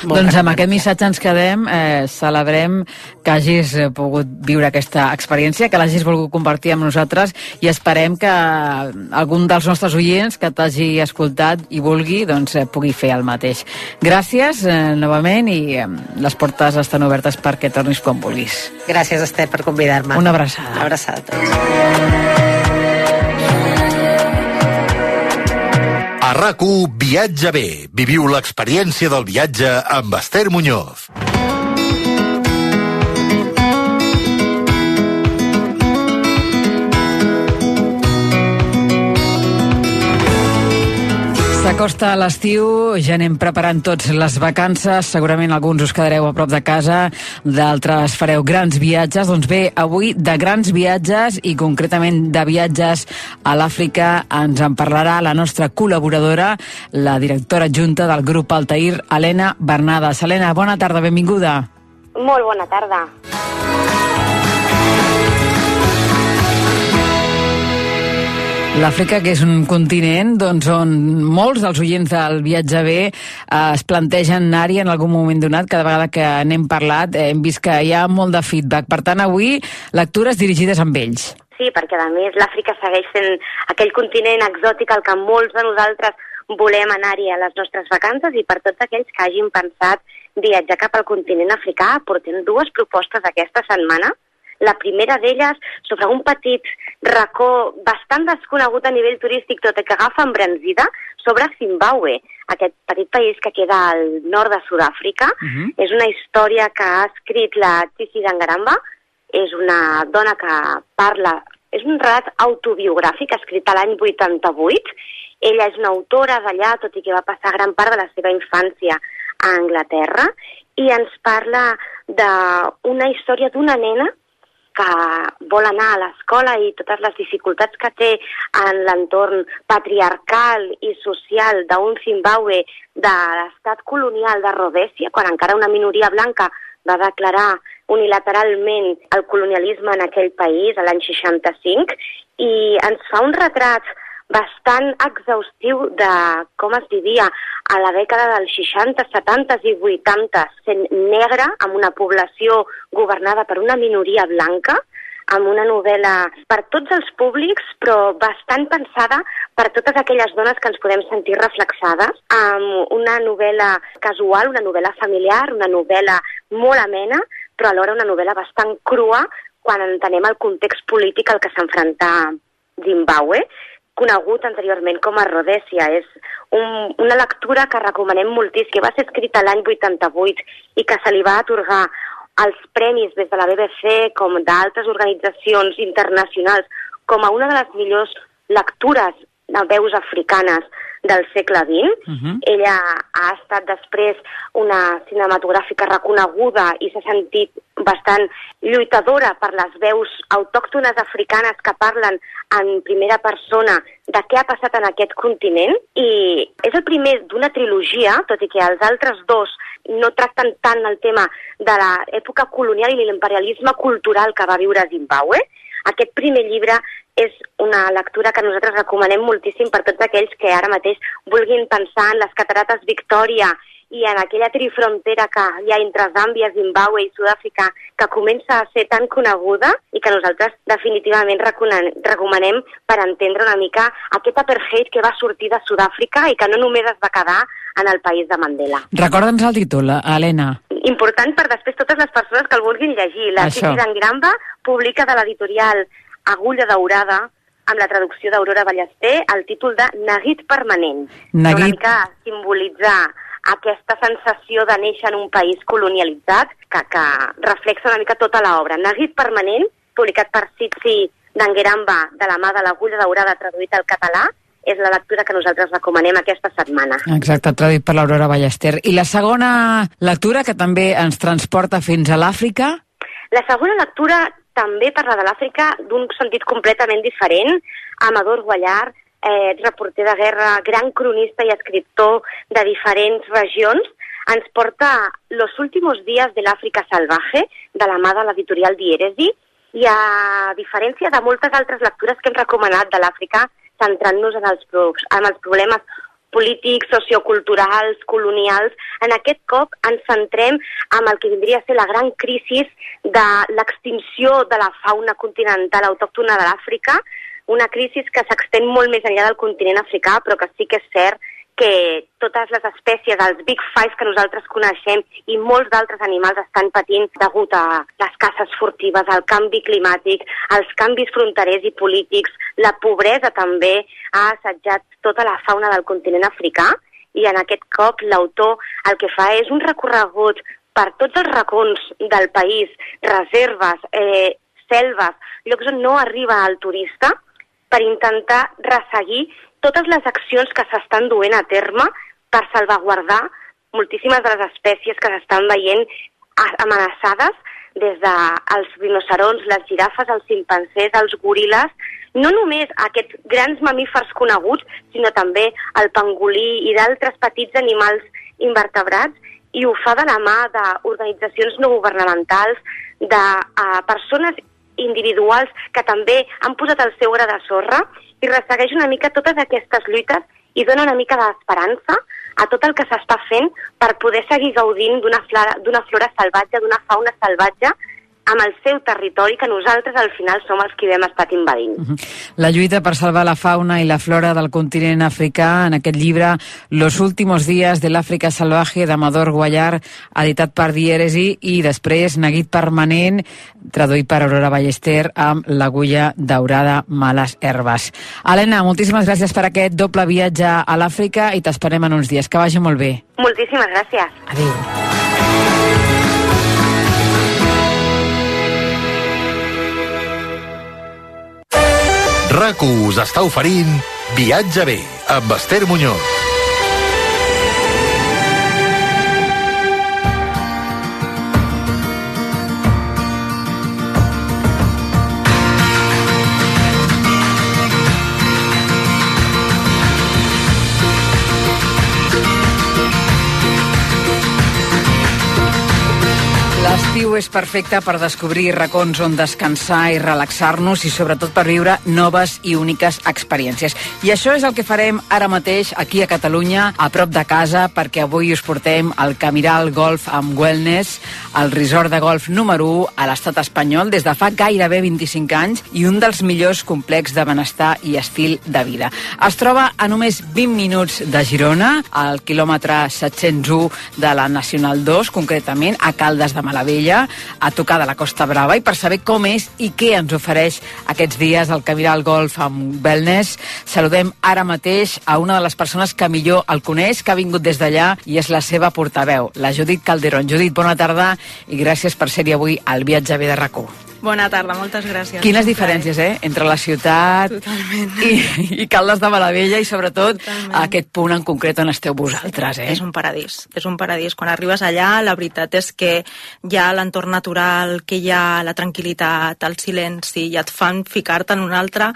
Doncs amb aquest missatge ens quedem, celebrem que hagis pogut viure aquesta experiència, que l'hagis volgut compartir amb nosaltres i esperem que algun dels nostres oients que t'hagi escoltat i vulgui, doncs pugui fer el mateix. Gràcies novament i les portes estan obertes perquè tornis quan vulguis. Gràcies, Esther, per convidar-me. Una abraçada. Una abraçada a tots. A RAC1 Viatge bé. Viviu l'experiència del viatge amb Esther Muñoz. S'acosta l'estiu, ja anem preparant tots les vacances, segurament alguns us quedareu a prop de casa, d'altres fareu grans viatges. Doncs bé, avui de grans viatges i concretament de viatges a l'Àfrica ens en parlarà la nostra col·laboradora, la directora adjunta del grup Altair, Helena Bernades. Helena, bona tarda, benvinguda. Molt bona tarda. L'Àfrica, que és un continent doncs, on molts dels oients del Viatge bé es plantegen anar-hi en algun moment donat. Cada vegada que n'hem parlat hem vist que hi ha molt de feedback. Per tant, avui, lectures dirigides amb ells. Sí, perquè a més l'Àfrica segueix sent aquell continent exòtic al que molts de nosaltres volem anar-hi a les nostres vacances, i per tots aquells que hagin pensat viatjar cap al continent africà, portem dues propostes aquesta setmana. La primera d'elles sobre un petit racó bastant desconegut a nivell turístic, tot i que agafa embranzida, sobre Zimbabue, aquest petit país que queda al nord de Sud-àfrica. És una història que ha escrit la Tsitsi Dangaramba, és una dona que parla, és un relat autobiogràfic escrit a l'any 88. Ella és una autora d'allà, tot i que va passar gran part de la seva infància a Anglaterra, i ens parla d'una història d'una nena que vol anar a l'escola i totes les dificultats que té en l'entorn patriarcal i social d'un Zimbabue de l'estat colonial de Rhodèsia, quan encara una minoria blanca va declarar unilateralment el colonialisme en aquell país l'any 65, i ens fa un retrat bastant exhaustiu de com es vivia a la dècada dels 60, 70 i 80, sent negra, amb una població governada per una minoria blanca, amb una novel·la per tots els públics, però bastant pensada per totes aquelles dones que ens podem sentir reflexades, amb una novel·la casual, una novel·la familiar, una novel·la molt amena, però alhora una novel·la bastant crua quan entenem el context polític al que s'enfronta Zimbabue, conegut anteriorment com a Rhodèsia. És una lectura que recomanem moltíssim, que va ser escrita l'any 88 i que se li va atorgar els premis des de la BBC com d'altres organitzacions internacionals com a una de les millors lectures de veus africanes del segle XX. Ella ha estat després una cinematogràfica reconeguda i s'ha sentit bastant lluitadora per les veus autòctones africanes que parlen en primera persona de què ha passat en aquest continent, i és el primer d'una trilogia, tot i que els altres dos no tracten tant el tema de l'època colonial i l'imperialisme cultural que va viure Zimbabue. Aquest primer llibre és una lectura que nosaltres recomanem moltíssim per tots aquells que ara mateix vulguin pensar en les catarates Victòria i en aquella trifrontera que hi ha entre Zàmbia, Zimbabue i Sud-àfrica, que comença a ser tan coneguda i que nosaltres definitivament recomanem per entendre una mica aquest apartheid que va sortir de Sud-àfrica i que no només es va quedar en el país de Mandela. Recorda'ns el títol, Helena. Important per després totes les persones que el vulguin llegir. La Tsitsi Dangaramba publica de l'editorial Agulla Daurada, amb la traducció d'Aurora Ballester, el títol de Neguit permanent. Una mica simbolitzar aquesta sensació de néixer en un país colonialitzat que reflexa una mica tota l'obra. Neguit permanent, publicat per Tsitsi Dangaramba de la mà de l'Agulla Daurada, traduït al català, és la lectura que nosaltres recomanem aquesta setmana. Exacte, traduït per l'Aurora Ballester. I la segona lectura, que també ens transporta fins a l'Àfrica? La segona lectura també parla de l'Àfrica d'un sentit completament diferent. Amador Guallart, reporter de guerra, gran cronista i escriptor de diferents regions, ens porta Los últimos días de l'Àfrica salvaje, de la mà de l'editorial Dièresi, i a diferència de moltes altres lectures que hem recomanat de l'Àfrica, centrant-nos en els problemes polítics, socioculturals, colonials. En aquest cop ens centrem en el que vindria a ser la gran crisi de l'extinció de la fauna continental autòctona de l'Àfrica, una crisi que s'extén molt més enllà del continent africà, però que sí que és cert que totes les espècies, els Big Five que nosaltres coneixem i molts d'altres animals estan patint degut a les caces furtives, al canvi climàtic, als canvis fronterers i polítics. La pobresa també ha assetjat tota la fauna del continent africà i en aquest cop l'autor el que fa és un recorregut per tots els racons del país, reserves, selves, llocs on no arriba el turista, per intentar resseguir totes les accions que s'estan duent a terme per salvaguardar moltíssimes de les espècies que s'estan veient amenaçades, des dels rinocerons, les girafes, els ximpanzés, els goril·les, no només aquests grans mamífers coneguts, sinó també el pangolí i d'altres petits animals invertebrats, i ho fa de la mà d'organitzacions no governamentals, de persones individuals que també han posat el seu gra de sorra i ressegueix una mica totes aquestes lluites i dona una mica d'esperança a tot el que s'està fent per poder seguir gaudint d'una flora salvatge, d'una fauna salvatge, amb el seu territori, que nosaltres al final som els que hem estat invadint. La lluita per salvar la fauna i la flora del continent africà, en aquest llibre Los últimos días de l'Àfrica salvaje, d'Amador Guallar, editat per Dièresi, i després Neguit permanent, traduït per Aurora Ballester, amb L'agulla daurada, males herbes. Helena, moltíssimes gràcies per aquest doble viatge a l'Àfrica i t'esperem en uns dies. Que vagi molt bé. Moltíssimes gràcies. Adéu. RAC1 us està oferint Viatge bé, amb Esther Muñoz. L'estiu és perfecte per descobrir racons on descansar i relaxar-nos i sobretot per viure noves i úniques experiències. I això és el que farem ara mateix aquí a Catalunya, a prop de casa, perquè avui us portem al Camiral Golf amb Wellness, el resort de golf número 1 a l'estat espanyol des de fa gairebé 25 anys i un dels millors complexos de benestar i estil de vida. Es troba a només 20 minuts de Girona, al quilòmetre 701 de la Nacional 2, concretament a Caldes de Malavella, a tocar de la Costa Brava, i per saber com és i què ens ofereix aquests dies el Camiral Golf amb Wellness, saludem ara mateix a una de les persones que millor el coneix, que ha vingut des d'allà i és la seva portaveu, la Judit Calderón. Judit, bona tarda i gràcies per ser-hi avui al Viatge bé de RAC1. Bona tarda, moltes gràcies. Quines diferències, entre la ciutat i Caldes de Malavella i sobretot aquest punt en concret on esteu vosaltres, És un paradís, és un paradís. Quan arribes allà, la veritat és que hi ha l'entorn natural, que hi ha la tranquil·litat, el silenci, i et fan ficar-te en un altre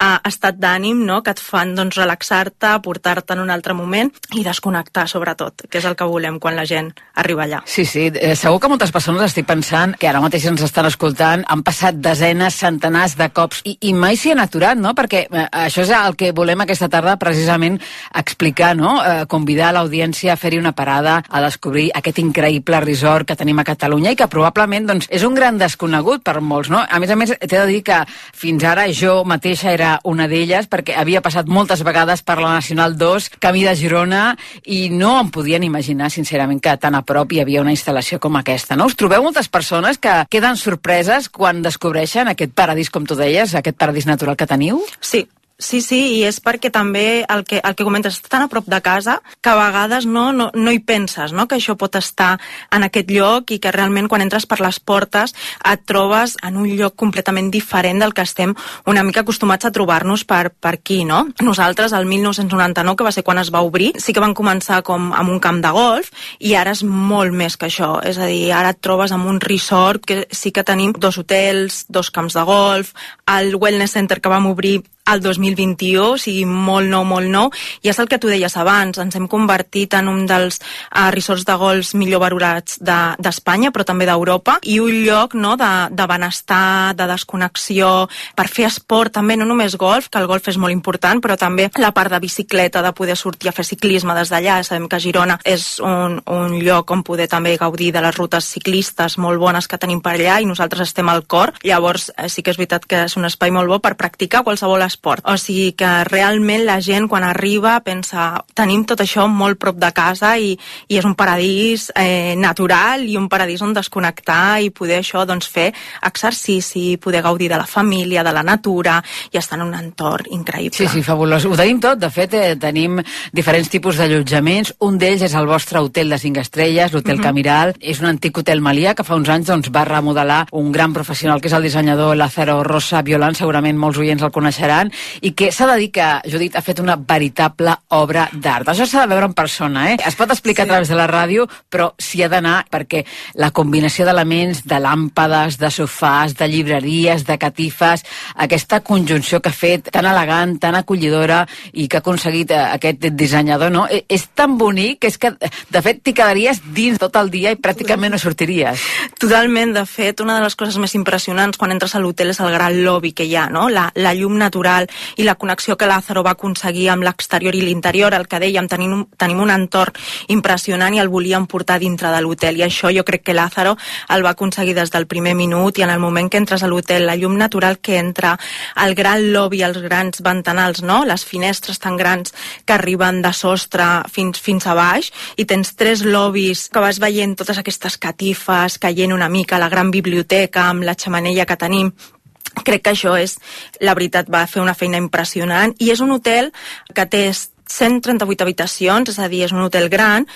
estat d'ànim, no? Que et fan relaxar-te, portar-te en un altre moment i desconnectar, sobretot, que és el que volem quan la gent arriba allà. Sí, segur que moltes persones estic pensant que ara mateix ens estan escoltant, han passat desenes, centenars de cops i mai s'hi han aturat, no? Perquè això és el que volem aquesta tarda precisament explicar, no? Convidar l'audiència a fer-hi una parada, a descobrir aquest increïble resort que tenim a Catalunya i que probablement és un gran desconegut per molts, no? A més, t'he de dir que fins ara jo mateixa era una d'elles perquè havia passat moltes vegades per la Nacional 2, camí de Girona, i no em podien imaginar, sincerament, que tan a prop hi havia una instal·lació com aquesta, no? Us trobeu moltes persones que queden sorpreses quan descobreixen aquest paradís, com tu deies, aquest paradís natural que teniu? Sí, i és perquè també el que comentes està tan a prop de casa que a vegades no hi penses, no? Que això pot estar en aquest lloc i que realment quan entres per les portes et trobes en un lloc completament diferent del que estem una mica acostumats a trobar-nos per aquí, no? Nosaltres, el 1999, que va ser quan es va obrir, sí que van començar com amb un camp de golf i ara és molt més que això, és a dir, ara et trobes amb un resort que sí que tenim 2 hotels, 2 camps de golf, el Wellness Center que vam obrir al 2021, o sigui, molt nou, i és el que tu deies abans, ens hem convertit en un dels resorts de golf millor valorats d'Espanya, però també d'Europa, i un lloc, no, de benestar, de desconnexió, per fer esport també, no només golf, que el golf és molt important, però també la part de bicicleta, de poder sortir a fer ciclisme des d'allà. Sabem que Girona és un lloc on poder també gaudir de les rutes ciclistes molt bones que tenim per allà, i nosaltres estem al cor. Llavors sí que és veritat que és un espai molt bo per practicar qualsevol esport. O sigui que realment la gent quan arriba pensa, tenim tot això molt prop de casa i és un paradís natural i un paradís on desconnectar i poder això, doncs, fer exercici, poder gaudir de la família, de la natura i estar en un entorn increïble. Sí, fabulós. Ho tenim tot. De fet, tenim diferents tipus d'allotjaments. Un d'ells és el vostre hotel de 5 estrelles, l'Hotel Camiral. És un antic hotel Melià que fa uns anys va remodelar un gran professional que és el dissenyador Lázaro Rosa Violant, segurament molts oients el coneixeran, i que s'ha de dir que, Judit, ha fet una veritable obra d'art. Això s'ha de veure en persona, eh? Es pot explicar a través de la ràdio, però s'hi ha d'anar perquè la combinació d'elements, de làmpades, de sofàs, de llibreries, de catifes, aquesta conjunció que ha fet tan elegant, tan acollidora i que ha aconseguit aquest dissenyador, no? És tan bonic que és que, de fet, t'hi quedaries dins tot el dia i pràcticament no sortiries. Totalment. De fet, una de les coses més impressionants quan entres a l'hotel és el gran lobby que hi ha, no? La llum natural i la connexió que Lázaro va aconseguir amb l'exterior i l'interior. El que dèiem, tenim un entorn impressionant i el volíem portar dintre de l'hotel, i això jo crec que Lázaro el va aconseguir des del primer minut, i en el moment que entres a l'hotel, la llum natural que entra, el gran lobby, els grans ventanals, no? Les finestres tan grans que arriben de sostre fins a baix, i tens 3 lobbies que vas veient totes aquestes catifes, caient una mica a la gran biblioteca amb la xemeneia que tenim. Crec que això és, la veritat, va fer una feina impressionant, i és un hotel que té 138 habitacions, és a dir, és un hotel gran,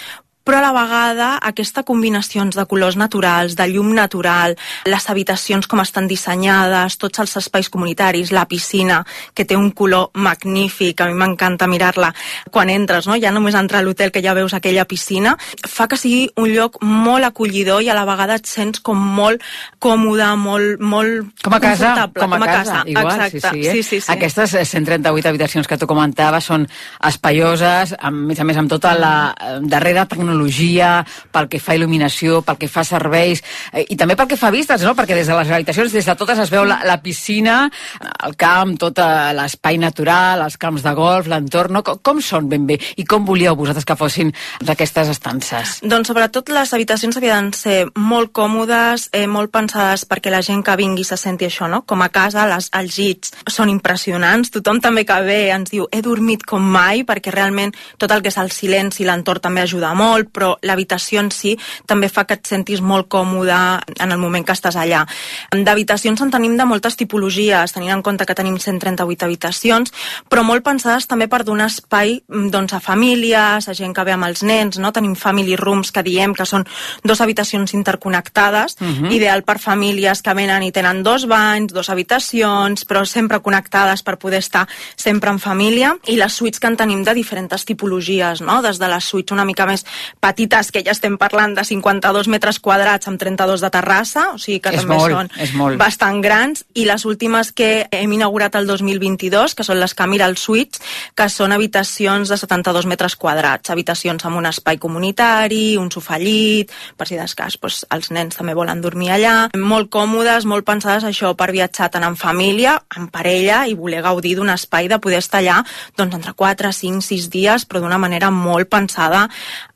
però a la vegada aquesta combinacions de colors naturals, de llum natural, les habitacions com estan dissenyades, tots els espais comunitaris, la piscina, que té un color magnífic, a mi m'encanta mirar-la quan entres, no? Ja només entrar a l'hotel que ja veus aquella piscina, fa que sigui un lloc molt acollidor i a la vegada et sents com molt còmode, molt com a casa, confortable. Com a casa, igual, exacte. Sí. Aquestes 138 habitacions que tu comentaves són espaioses, a més amb tota la darrera tecnologia, pel que fa il·luminació, pel que fa serveis, i també pel que fa vistes, no? Perquè des de les habitacions, des de totes es veu la piscina, el camp, tot l'espai natural, els camps de golf, l'entorn, no? Com són ben bé? I com volíeu vosaltres que fossin aquestes estances? Doncs sobretot les habitacions havien de ser molt còmodes, molt pensades perquè la gent que vingui se senti això, no? Com a casa, els llits són impressionants, tothom també que ve ens diu he dormit com mai, perquè realment tot el que és el silenci, l'entorn també ajuda molt, però l'habitació en si també fa que et sentis molt còmode en el moment que estàs allà. D'habitacions en tenim de moltes tipologies, tenint en compte que tenim 138 habitacions, però molt pensades també per donar espai, doncs, a famílies, a gent que ve amb els nens, no? Tenim family rooms, que diem que són 2 habitacions interconnectades, ideal per famílies que venen i tenen 2 banys, 2 habitacions, però sempre connectades per poder estar sempre en família, i les suites que en tenim de diferents tipologies, no? Des de les suites una mica més petites, que ja estem parlant de 52 metres quadrats amb 32 de terrassa, o sigui que també són bastant grans, i les últimes que hem inaugurat el 2022, que són les Camiral Suites, que són habitacions de 72 metres quadrats, habitacions amb un espai comunitari, un sofà llit, per si d'escàs els nens també volen dormir allà, molt còmodes, molt pensades això per viatjar tant en família, en parella, i voler gaudir d'un espai de poder estar allà doncs entre 4, 5, 6 dies, però d'una manera molt pensada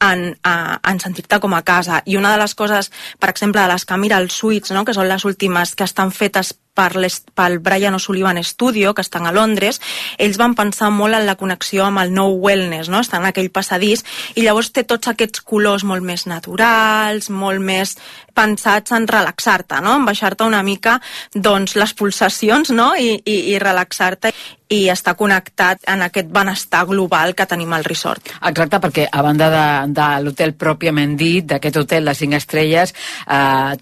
en sentir-te com a casa. I una de les coses, per exemple, de les Camiral Suites, no? Que són les últimes que estan fetes pel Brian O'Sullivan Studio, que estan a Londres, ells van pensar molt en la connexió amb el nou wellness, no? Estan en aquell passadís, i llavors té tots aquests colors molt més naturals, molt més pensats en relaxar-te, no? En baixar-te una mica doncs, les pulsacions, no? I relaxar-te i estar connectat en aquest benestar global que tenim al resort. Exacte, perquè a banda de l'hotel pròpiament dit, d'aquest hotel de 5 estrelles,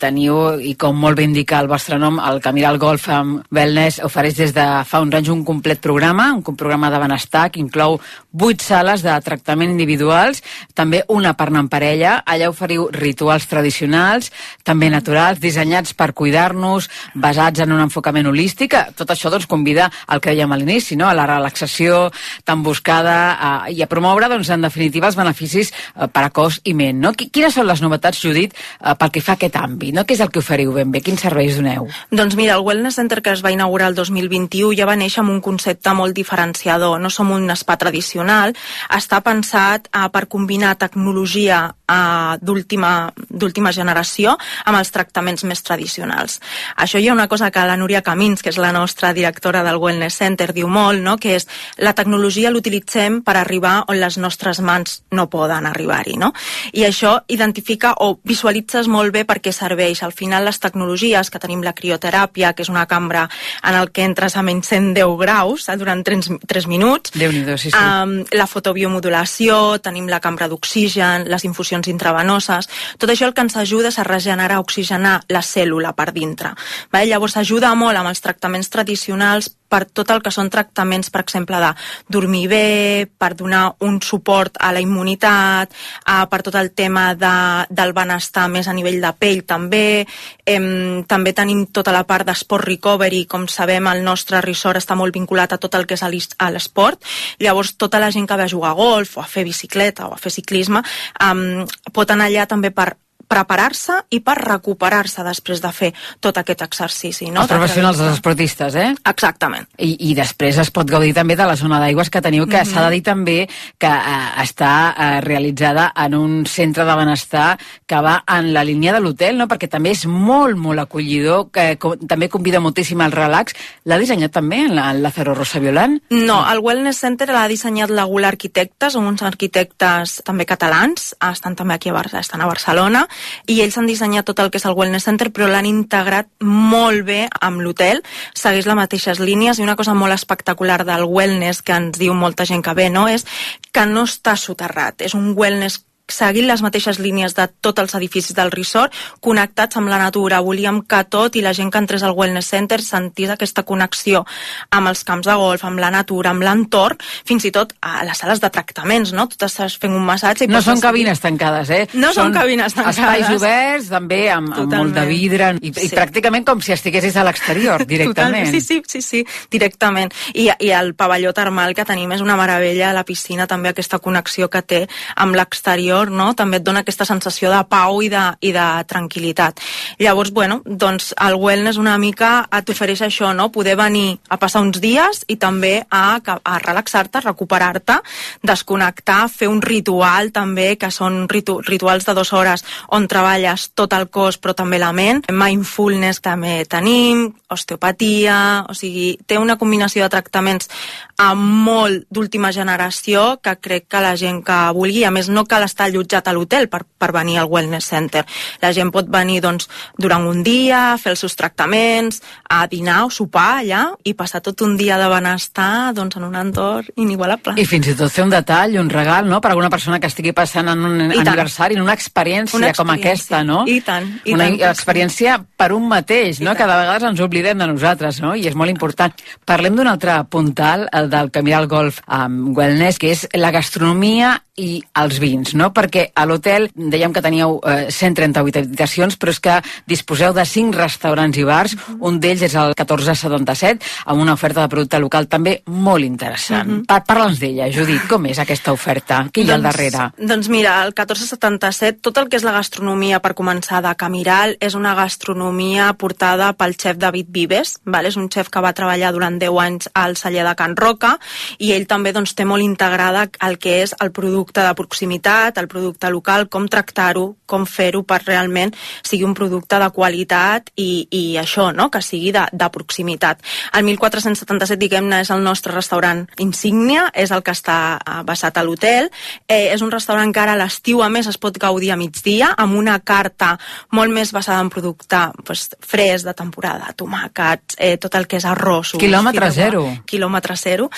teniu, i com molt bé indica el vostre nom, el Camiral Golf Wellness ofereix des de fa uns anys un complet programa, un programa de benestar que inclou 8 sales de tractament individuals, també una per anar en parella. Allà oferiu rituals tradicionals, també naturals, dissenyats per cuidar-nos, basats en un enfocament holístic. Tot això doncs, convida al que dèiem a l'inici, no? A la relaxació tan buscada i a promoure, doncs, en definitiva, els beneficis per a cos i ment. No? Quines són les novetats, Judit, pel que fa a aquest àmbit? No? Què és el que oferiu ben bé? Quins serveis doneu? Doncs mira, el Wellness Center que es va inaugurar el 2021 ja va néixer amb un concepte molt diferenciador. No som un spa tradicional, està pensat per combinar tecnologia d'última generació amb els tractaments més tradicionals. Això hi ha una cosa que la Núria Camins, que és la nostra directora del Wellness Center, diu molt, no? Que és la tecnologia l'utilitzem per arribar on les nostres mans no poden arribar-hi, no? I això identifica o visualitzes molt bé per què serveix. Al final les tecnologies, que tenim la crioteràpia, que és una cambra en el que entres a menys 110 graus durant 3 minuts, Déu-n'hi-do, sí, sí. La fotobiomodulació, tenim la cambra d'oxigen, les infusions intravenoses, tot això el que ens ajuda és a regenerar, a oxigenar la cèl·lula per dintre. Llavors ajuda molt amb els tractaments tradicionals per tot el que són tractaments, per exemple, de dormir bé, per donar un suport a la immunitat, per tot el tema del benestar més a nivell de pell també. També tenim tota la part d'esport recovery, com sabem el nostre resort està molt vinculat a tot el que és a l'esport. Llavors tota la gent que ve a jugar a golf o a fer bicicleta o a fer ciclisme pot anar allà també per preparar-se i per recuperar-se després de fer tot aquest exercici. No? Els professionals, els esportistes, Exactament. I després es pot gaudir també de la zona d'aigües que teniu, que s'ha de dir també que està realitzada en un centre de benestar que va en la línia de l'hotel, no? Perquè també és molt, molt acollidor, que també convida moltíssim al relax. L'ha dissenyat també en Lázaro Rosa-Violant? No, el Wellness Center l'ha dissenyat la Gula Arquitectes, uns arquitectes també catalans, estan també aquí estan a Barcelona, i ells han dissenyat tot el que és el Wellness Center, però l'han integrat molt bé amb l'hotel, segueix les mateixes línies, i una cosa molt espectacular del wellness que ens diu molta gent que ve, no? És que no està soterrat, és un wellness seguint les mateixes línies de tots els edificis del resort, connectats amb la natura. Volíem que tot i la gent que entrés al Wellness Center sentís aquesta connexió amb els camps de golf, amb la natura, amb l'entorn, fins i tot a les sales de tractaments, no? Tu estàs fent un massatge... No són cabines tancades, No són cabines tancades. Espais oberts, també, amb molt de vidre, i pràcticament com si estiguessis a l'exterior, directament. Sí, directament. I el pavelló termal que tenim és una meravella, la piscina també, aquesta connexió que té amb l'exterior, no? També et dona aquesta sensació de pau i de tranquil·litat. Llavors, doncs el wellness una mica t'ofereix això, no? Poder venir a passar uns dies i també a relaxar-te, a recuperar-te, desconnectar, fer un ritual també, que són rituals de 2 hores on treballes tot el cos però també la ment. Mindfulness també tenim, osteopatia, o sigui, té una combinació de tractaments molt d'última generació que crec que la gent que vulgui, a més no cal estar allotjat a l'hotel per venir al Wellness Center. La gent pot venir doncs, durant un dia, fer els seus tractaments, a dinar o sopar allà i passar tot un dia de benestar doncs, en un entorn inigualable. I fins i tot fer un detall, un regal, no?, per alguna persona que estigui passant en un aniversari, en una experiència com aquesta, no? I tant. Una experiència per un mateix, no?, que de vegades ens oblidem de nosaltres, no?, i és molt important. Parlem d'un altre puntal, el del Camí del Golf Wellness, que és la gastronomia i els vins, no? Perquè a l'hotel dèiem que teníeu 138 habitacions, però és que disposeu de 5 restaurants i bars, un d'ells és el 1477, amb una oferta de producte local també molt interessant. Parla'ns d'ella, Judit, com és aquesta oferta? Què hi ha al darrere? Doncs mira, el 1477, tot el que és la gastronomia, per començar, de Camiral, és una gastronomia portada pel xef David Vives, és un xef que va treballar durant 10 anys al celler de Can Roca, i ell també doncs, té molt integrada el que és el producte de proximitat, el producte local, com tractar-ho, com fer-ho per realment sigui un producte de qualitat i això, no?, que sigui de proximitat. El 1477, diguem-ne, és el nostre restaurant insígnia, és el que està basat a l'hotel. És un restaurant que ara a l'estiu, a més, es pot gaudir a migdia, amb una carta molt més basada en producte fresc, de temporada, tomàquets, tot el que és arrossos. Quilòmetre zero. Quilòmetre zero.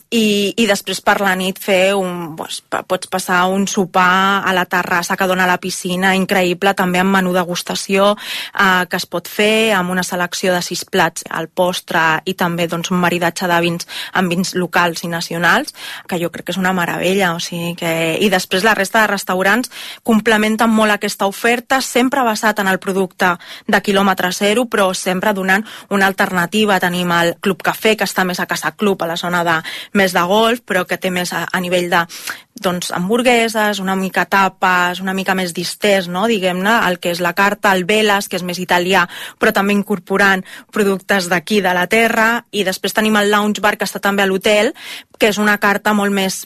I després per la nit fer un pots passar un sopar a la terrassa que dona a la piscina, increïble, també amb menú degustació que es pot fer amb una selecció de 6 plats al postre i també un maridatge de vins amb vins locals i nacionals, que jo crec que és una meravella. I després la resta de restaurants complementen molt aquesta oferta, sempre basat en el producte de quilòmetre zero, però sempre donant una alternativa. Tenim el Club Cafè, que està més a Casa Club, a la zona més de golf, però que té més a nivell de hamburgueses, una mica tapes, una mica més distès, no? Diguem-ne, el que és la carta, el Velas, que és més italià, però també incorporant productes d'aquí, de la terra, i després tenim el Lounge Bar, que està també a l'hotel, que és una carta molt més,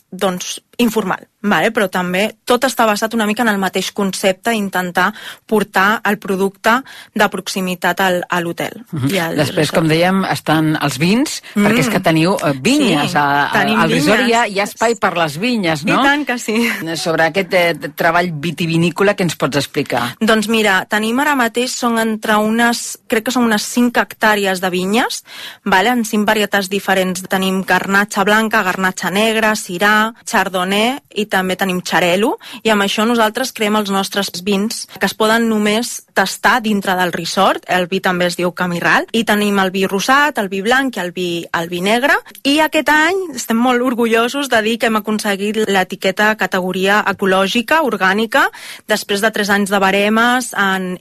informal, vale? Però també tot està basat una mica en el mateix concepte, intentar portar el producte de proximitat a l'hotel. Després, com dèiem, estan els vins, perquè és que teniu vinyes. Sí, al resort hi ha espai per les vinyes, no? I tant que sí. Sobre aquest treball vitivinícola, què ens pots explicar? Doncs mira, tenim ara mateix, crec que són unes 5 hectàrees de vinyes, vale? En 5 varietats diferents. Tenim garnatxa blanca, garnatxa negra, sirà, chardonnay, i també tenim xarel·lo, i amb això nosaltres creem els nostres vins que es poden només tastar dintre del resort. El vi també es diu Camiral, i tenim el vi rosat, el vi blanc i el vi negre, i aquest any estem molt orgullosos de dir que hem aconseguit l'etiqueta categoria ecològica, orgànica, després de 3 anys de baremes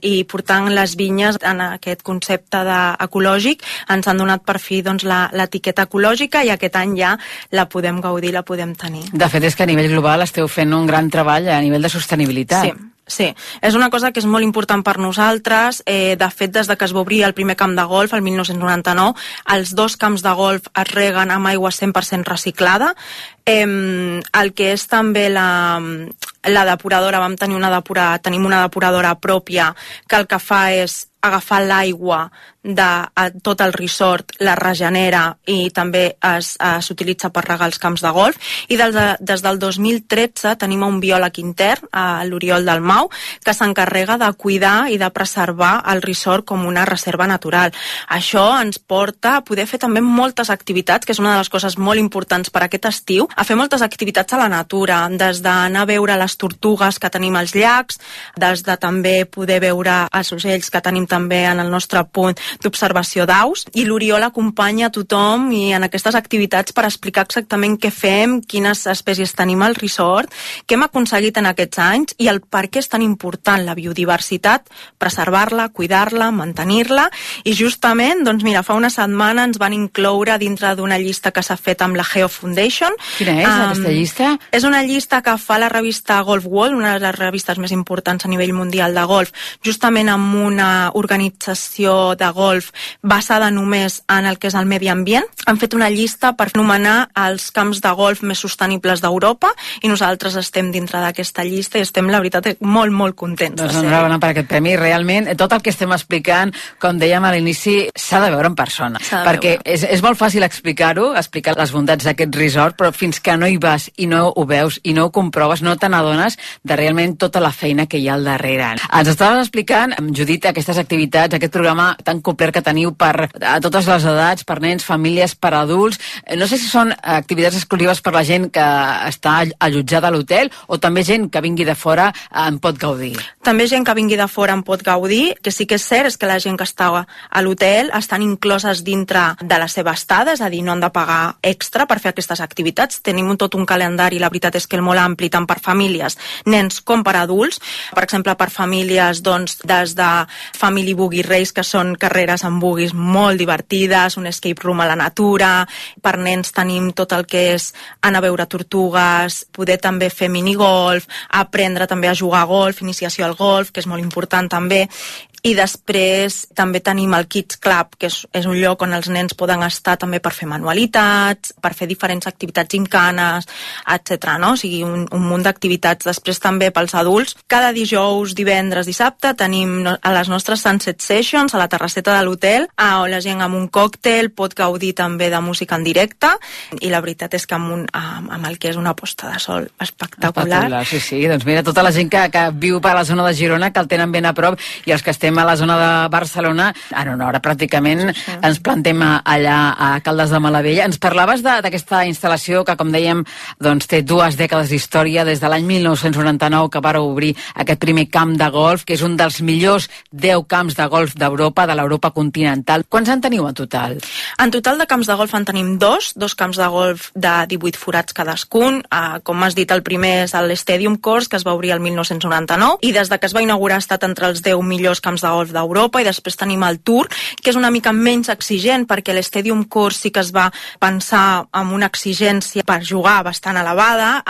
i portant les vinyes en aquest concepte ecològic, ens han donat per fi l'etiqueta ecològica, i aquest any ja la podem gaudir, la podem tenir. De fet, és que a nivell global esteu fent un gran treball a nivell de sostenibilitat. Sí, és una cosa que és molt important per nosaltres. De fet, des que es va obrir el primer camp de golf, el 1999, els 2 camps de golf es reguen amb aigua 100% reciclada. El que és també la depuradora, tenim una depuradora pròpia, que el que fa és agafar l'aigua de tot el resort, la regenera i també s'utilitza per regar els camps de golf. I des del 2013 tenim un biòleg intern, l'Oriol Dalmau, que s'encarrega de cuidar i de preservar el resort com una reserva natural. Això ens porta a poder fer també moltes activitats, que és una de les coses molt importants per aquest estiu, a fer moltes activitats a la natura, des d'anar a veure les tortugues que tenim als llacs, des de també poder veure els ocells que tenim també en el nostre punt d'observació d'aus, i l'Oriol acompanya a tothom i en aquestes activitats per explicar exactament què fem, quines espècies tenim al resort, què hem aconseguit en aquests anys i el per què és tan important la biodiversitat, preservar-la, cuidar-la, mantenir-la. I justament, fa una setmana ens van incloure dintre d'una llista que s'ha fet amb la Geo Foundation. Quina és aquesta llista? És una llista que fa la revista Golf World, una de les revistes més importants a nivell mundial de golf, justament amb una organització de golf basada només en el que és el medi ambient. Han fet una llista per anomenar els camps de golf més sostenibles d'Europa i nosaltres estem dintre d'aquesta llista i estem, la veritat, molt, molt contents. Doncs enhorabona per aquest premi. Realment, tot el que estem explicant, com dèiem a l'inici, s'ha de veure en persona. Perquè és molt fàcil explicar-ho, explicar les bondats d'aquest resort, però fins que no hi vas i no ho veus i no ho comproves, no te n'adones de realment tota la feina que hi ha al darrere. Ens estaves explicant, Judit, aquestes activitats, aquest programa tan complet que teniu per a totes les edats, per nens, famílies, per adults. No sé si són activitats exclusives per la gent que està allotjada a l'hotel o també gent que vingui de fora en pot gaudir. També gent que vingui de fora en pot gaudir, que sí que és cert és que la gent que està a l'hotel estan incloses dintre de la seva estada, és a dir, no han de pagar extra per fer aquestes activitats. Tenim tot un calendari, la veritat és que és molt ampli, tant per famílies, nens com per adults. Per exemple, per famílies, des de Family Boogie Race, que són carreres amb buggies molt divertides, un escape room a la natura. Per nens tenim tot el que és anar a veure tortugues, poder també fer minigolf, aprendre també a jugar a golf, iniciació al golf, que és molt important també. I després també tenim el Kids Club, que és un lloc on els nens poden estar també per fer manualitats, per fer diferents activitats gincanes, etc. No? O sigui, un munt d'activitats. Després també pels adults, cada dijous, divendres, dissabte tenim a les nostres Sunset Sessions a la terrasseta de l'hotel, on la gent amb un còctel pot gaudir també de música en directe, i la veritat és que amb el que és una posta de sol espectacular. Sí, doncs mira, tota la gent que viu per la zona de Girona, que el tenen ben a prop, i els que estem a la zona de Barcelona, en una hora pràcticament ens plantem allà a Caldes de Malavella. Ens parlaves d'aquesta instal·lació que, com dèiem, doncs, té 2 dècades d'història, des de l'any 1999 que va obrir aquest primer camp de golf, que és un dels millors 10 camps de golf d'Europa, de l'Europa continental. Quants en teniu en total? En total de camps de golf en tenim dos camps de golf de 18 forats cadascun. Com has dit, el primer és l'Stadium Course, que es va obrir el 1999, i des de que es va inaugurar ha estat entre els 10 millors camps de golf d'Europa, i després tenim el Tour, que és una mica menys exigent, perquè l'Stadium Course sí que es va pensar amb una exigència per jugar bastant elevada.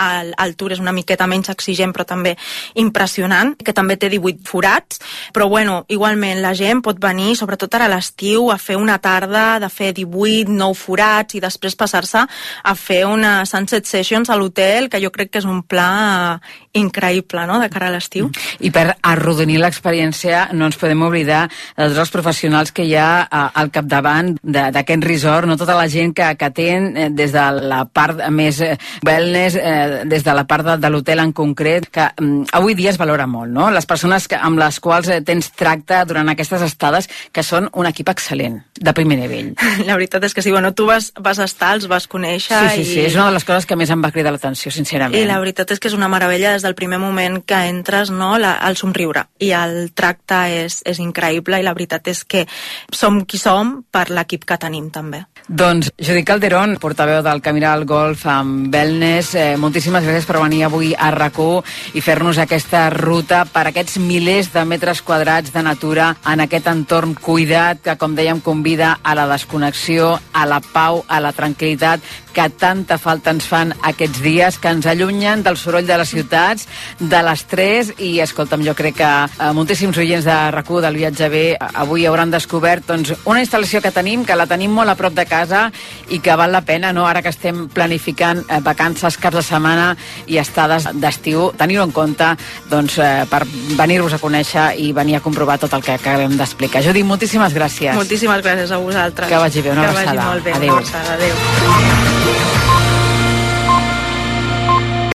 El Tour és una miqueta menys exigent, però també impressionant, que també té 18 forats, però bueno, igualment la gent pot venir, sobretot ara a l'estiu, a fer una tarda de fer 18, 9 forats i després passar-se a fer una sunset sessions a l'hotel, que jo crec que és un pla increïble, no?, de cara a l'estiu. I per arrodonir l'experiència no ens podem oblidar de tots els professionals que hi ha al capdavant d'aquest resort, no, tota la gent que atén des de la part més wellness, des de la part de l'hotel en concret, que avui dia es valora molt, no? Les persones amb les quals tens tracte durant aquestes estades, que són un equip excel·lent, de primer nivell. La veritat és que sí, bueno, tu vas estar, els vas conèixer... Sí, és una de les coses que més em va cridar l'atenció, sincerament. I la veritat és que és una meravella des del primer moment que entres, no?, el somriure. I el tracte és increïble, i la veritat és que som qui som per l'equip que tenim, també. Doncs Judit Calderón, portaveu del Camiral Golf amb Wellness, moltíssimes gràcies per venir avui a RAC1 i fer-nos aquesta ruta per aquests milers de metres quadrats de natura en aquest entorn cuidat que, com dèiem, convida a la desconnexió, a la pau, a la tranquil·litat que tanta falta ens fan aquests dies, que ens allunyen del soroll de les ciutats, de l'estrès, i escolta'm, jo crec que moltíssims oients de RAC1 del Viatge Bé avui hauran descobert doncs, una instal·lació que la tenim molt a prop de casa i que val la pena, no?, ara que estem planificant vacances, caps de setmana i estades d'estiu, tenir-ho en compte doncs, per venir-vos a conèixer i venir a comprovar tot el que acabem d'explicar. Judit, moltíssimes gràcies. Moltíssimes gràcies a vosaltres. Que vagi bé, una abraçada. Que vagi molt bé. Adéu. Adéu.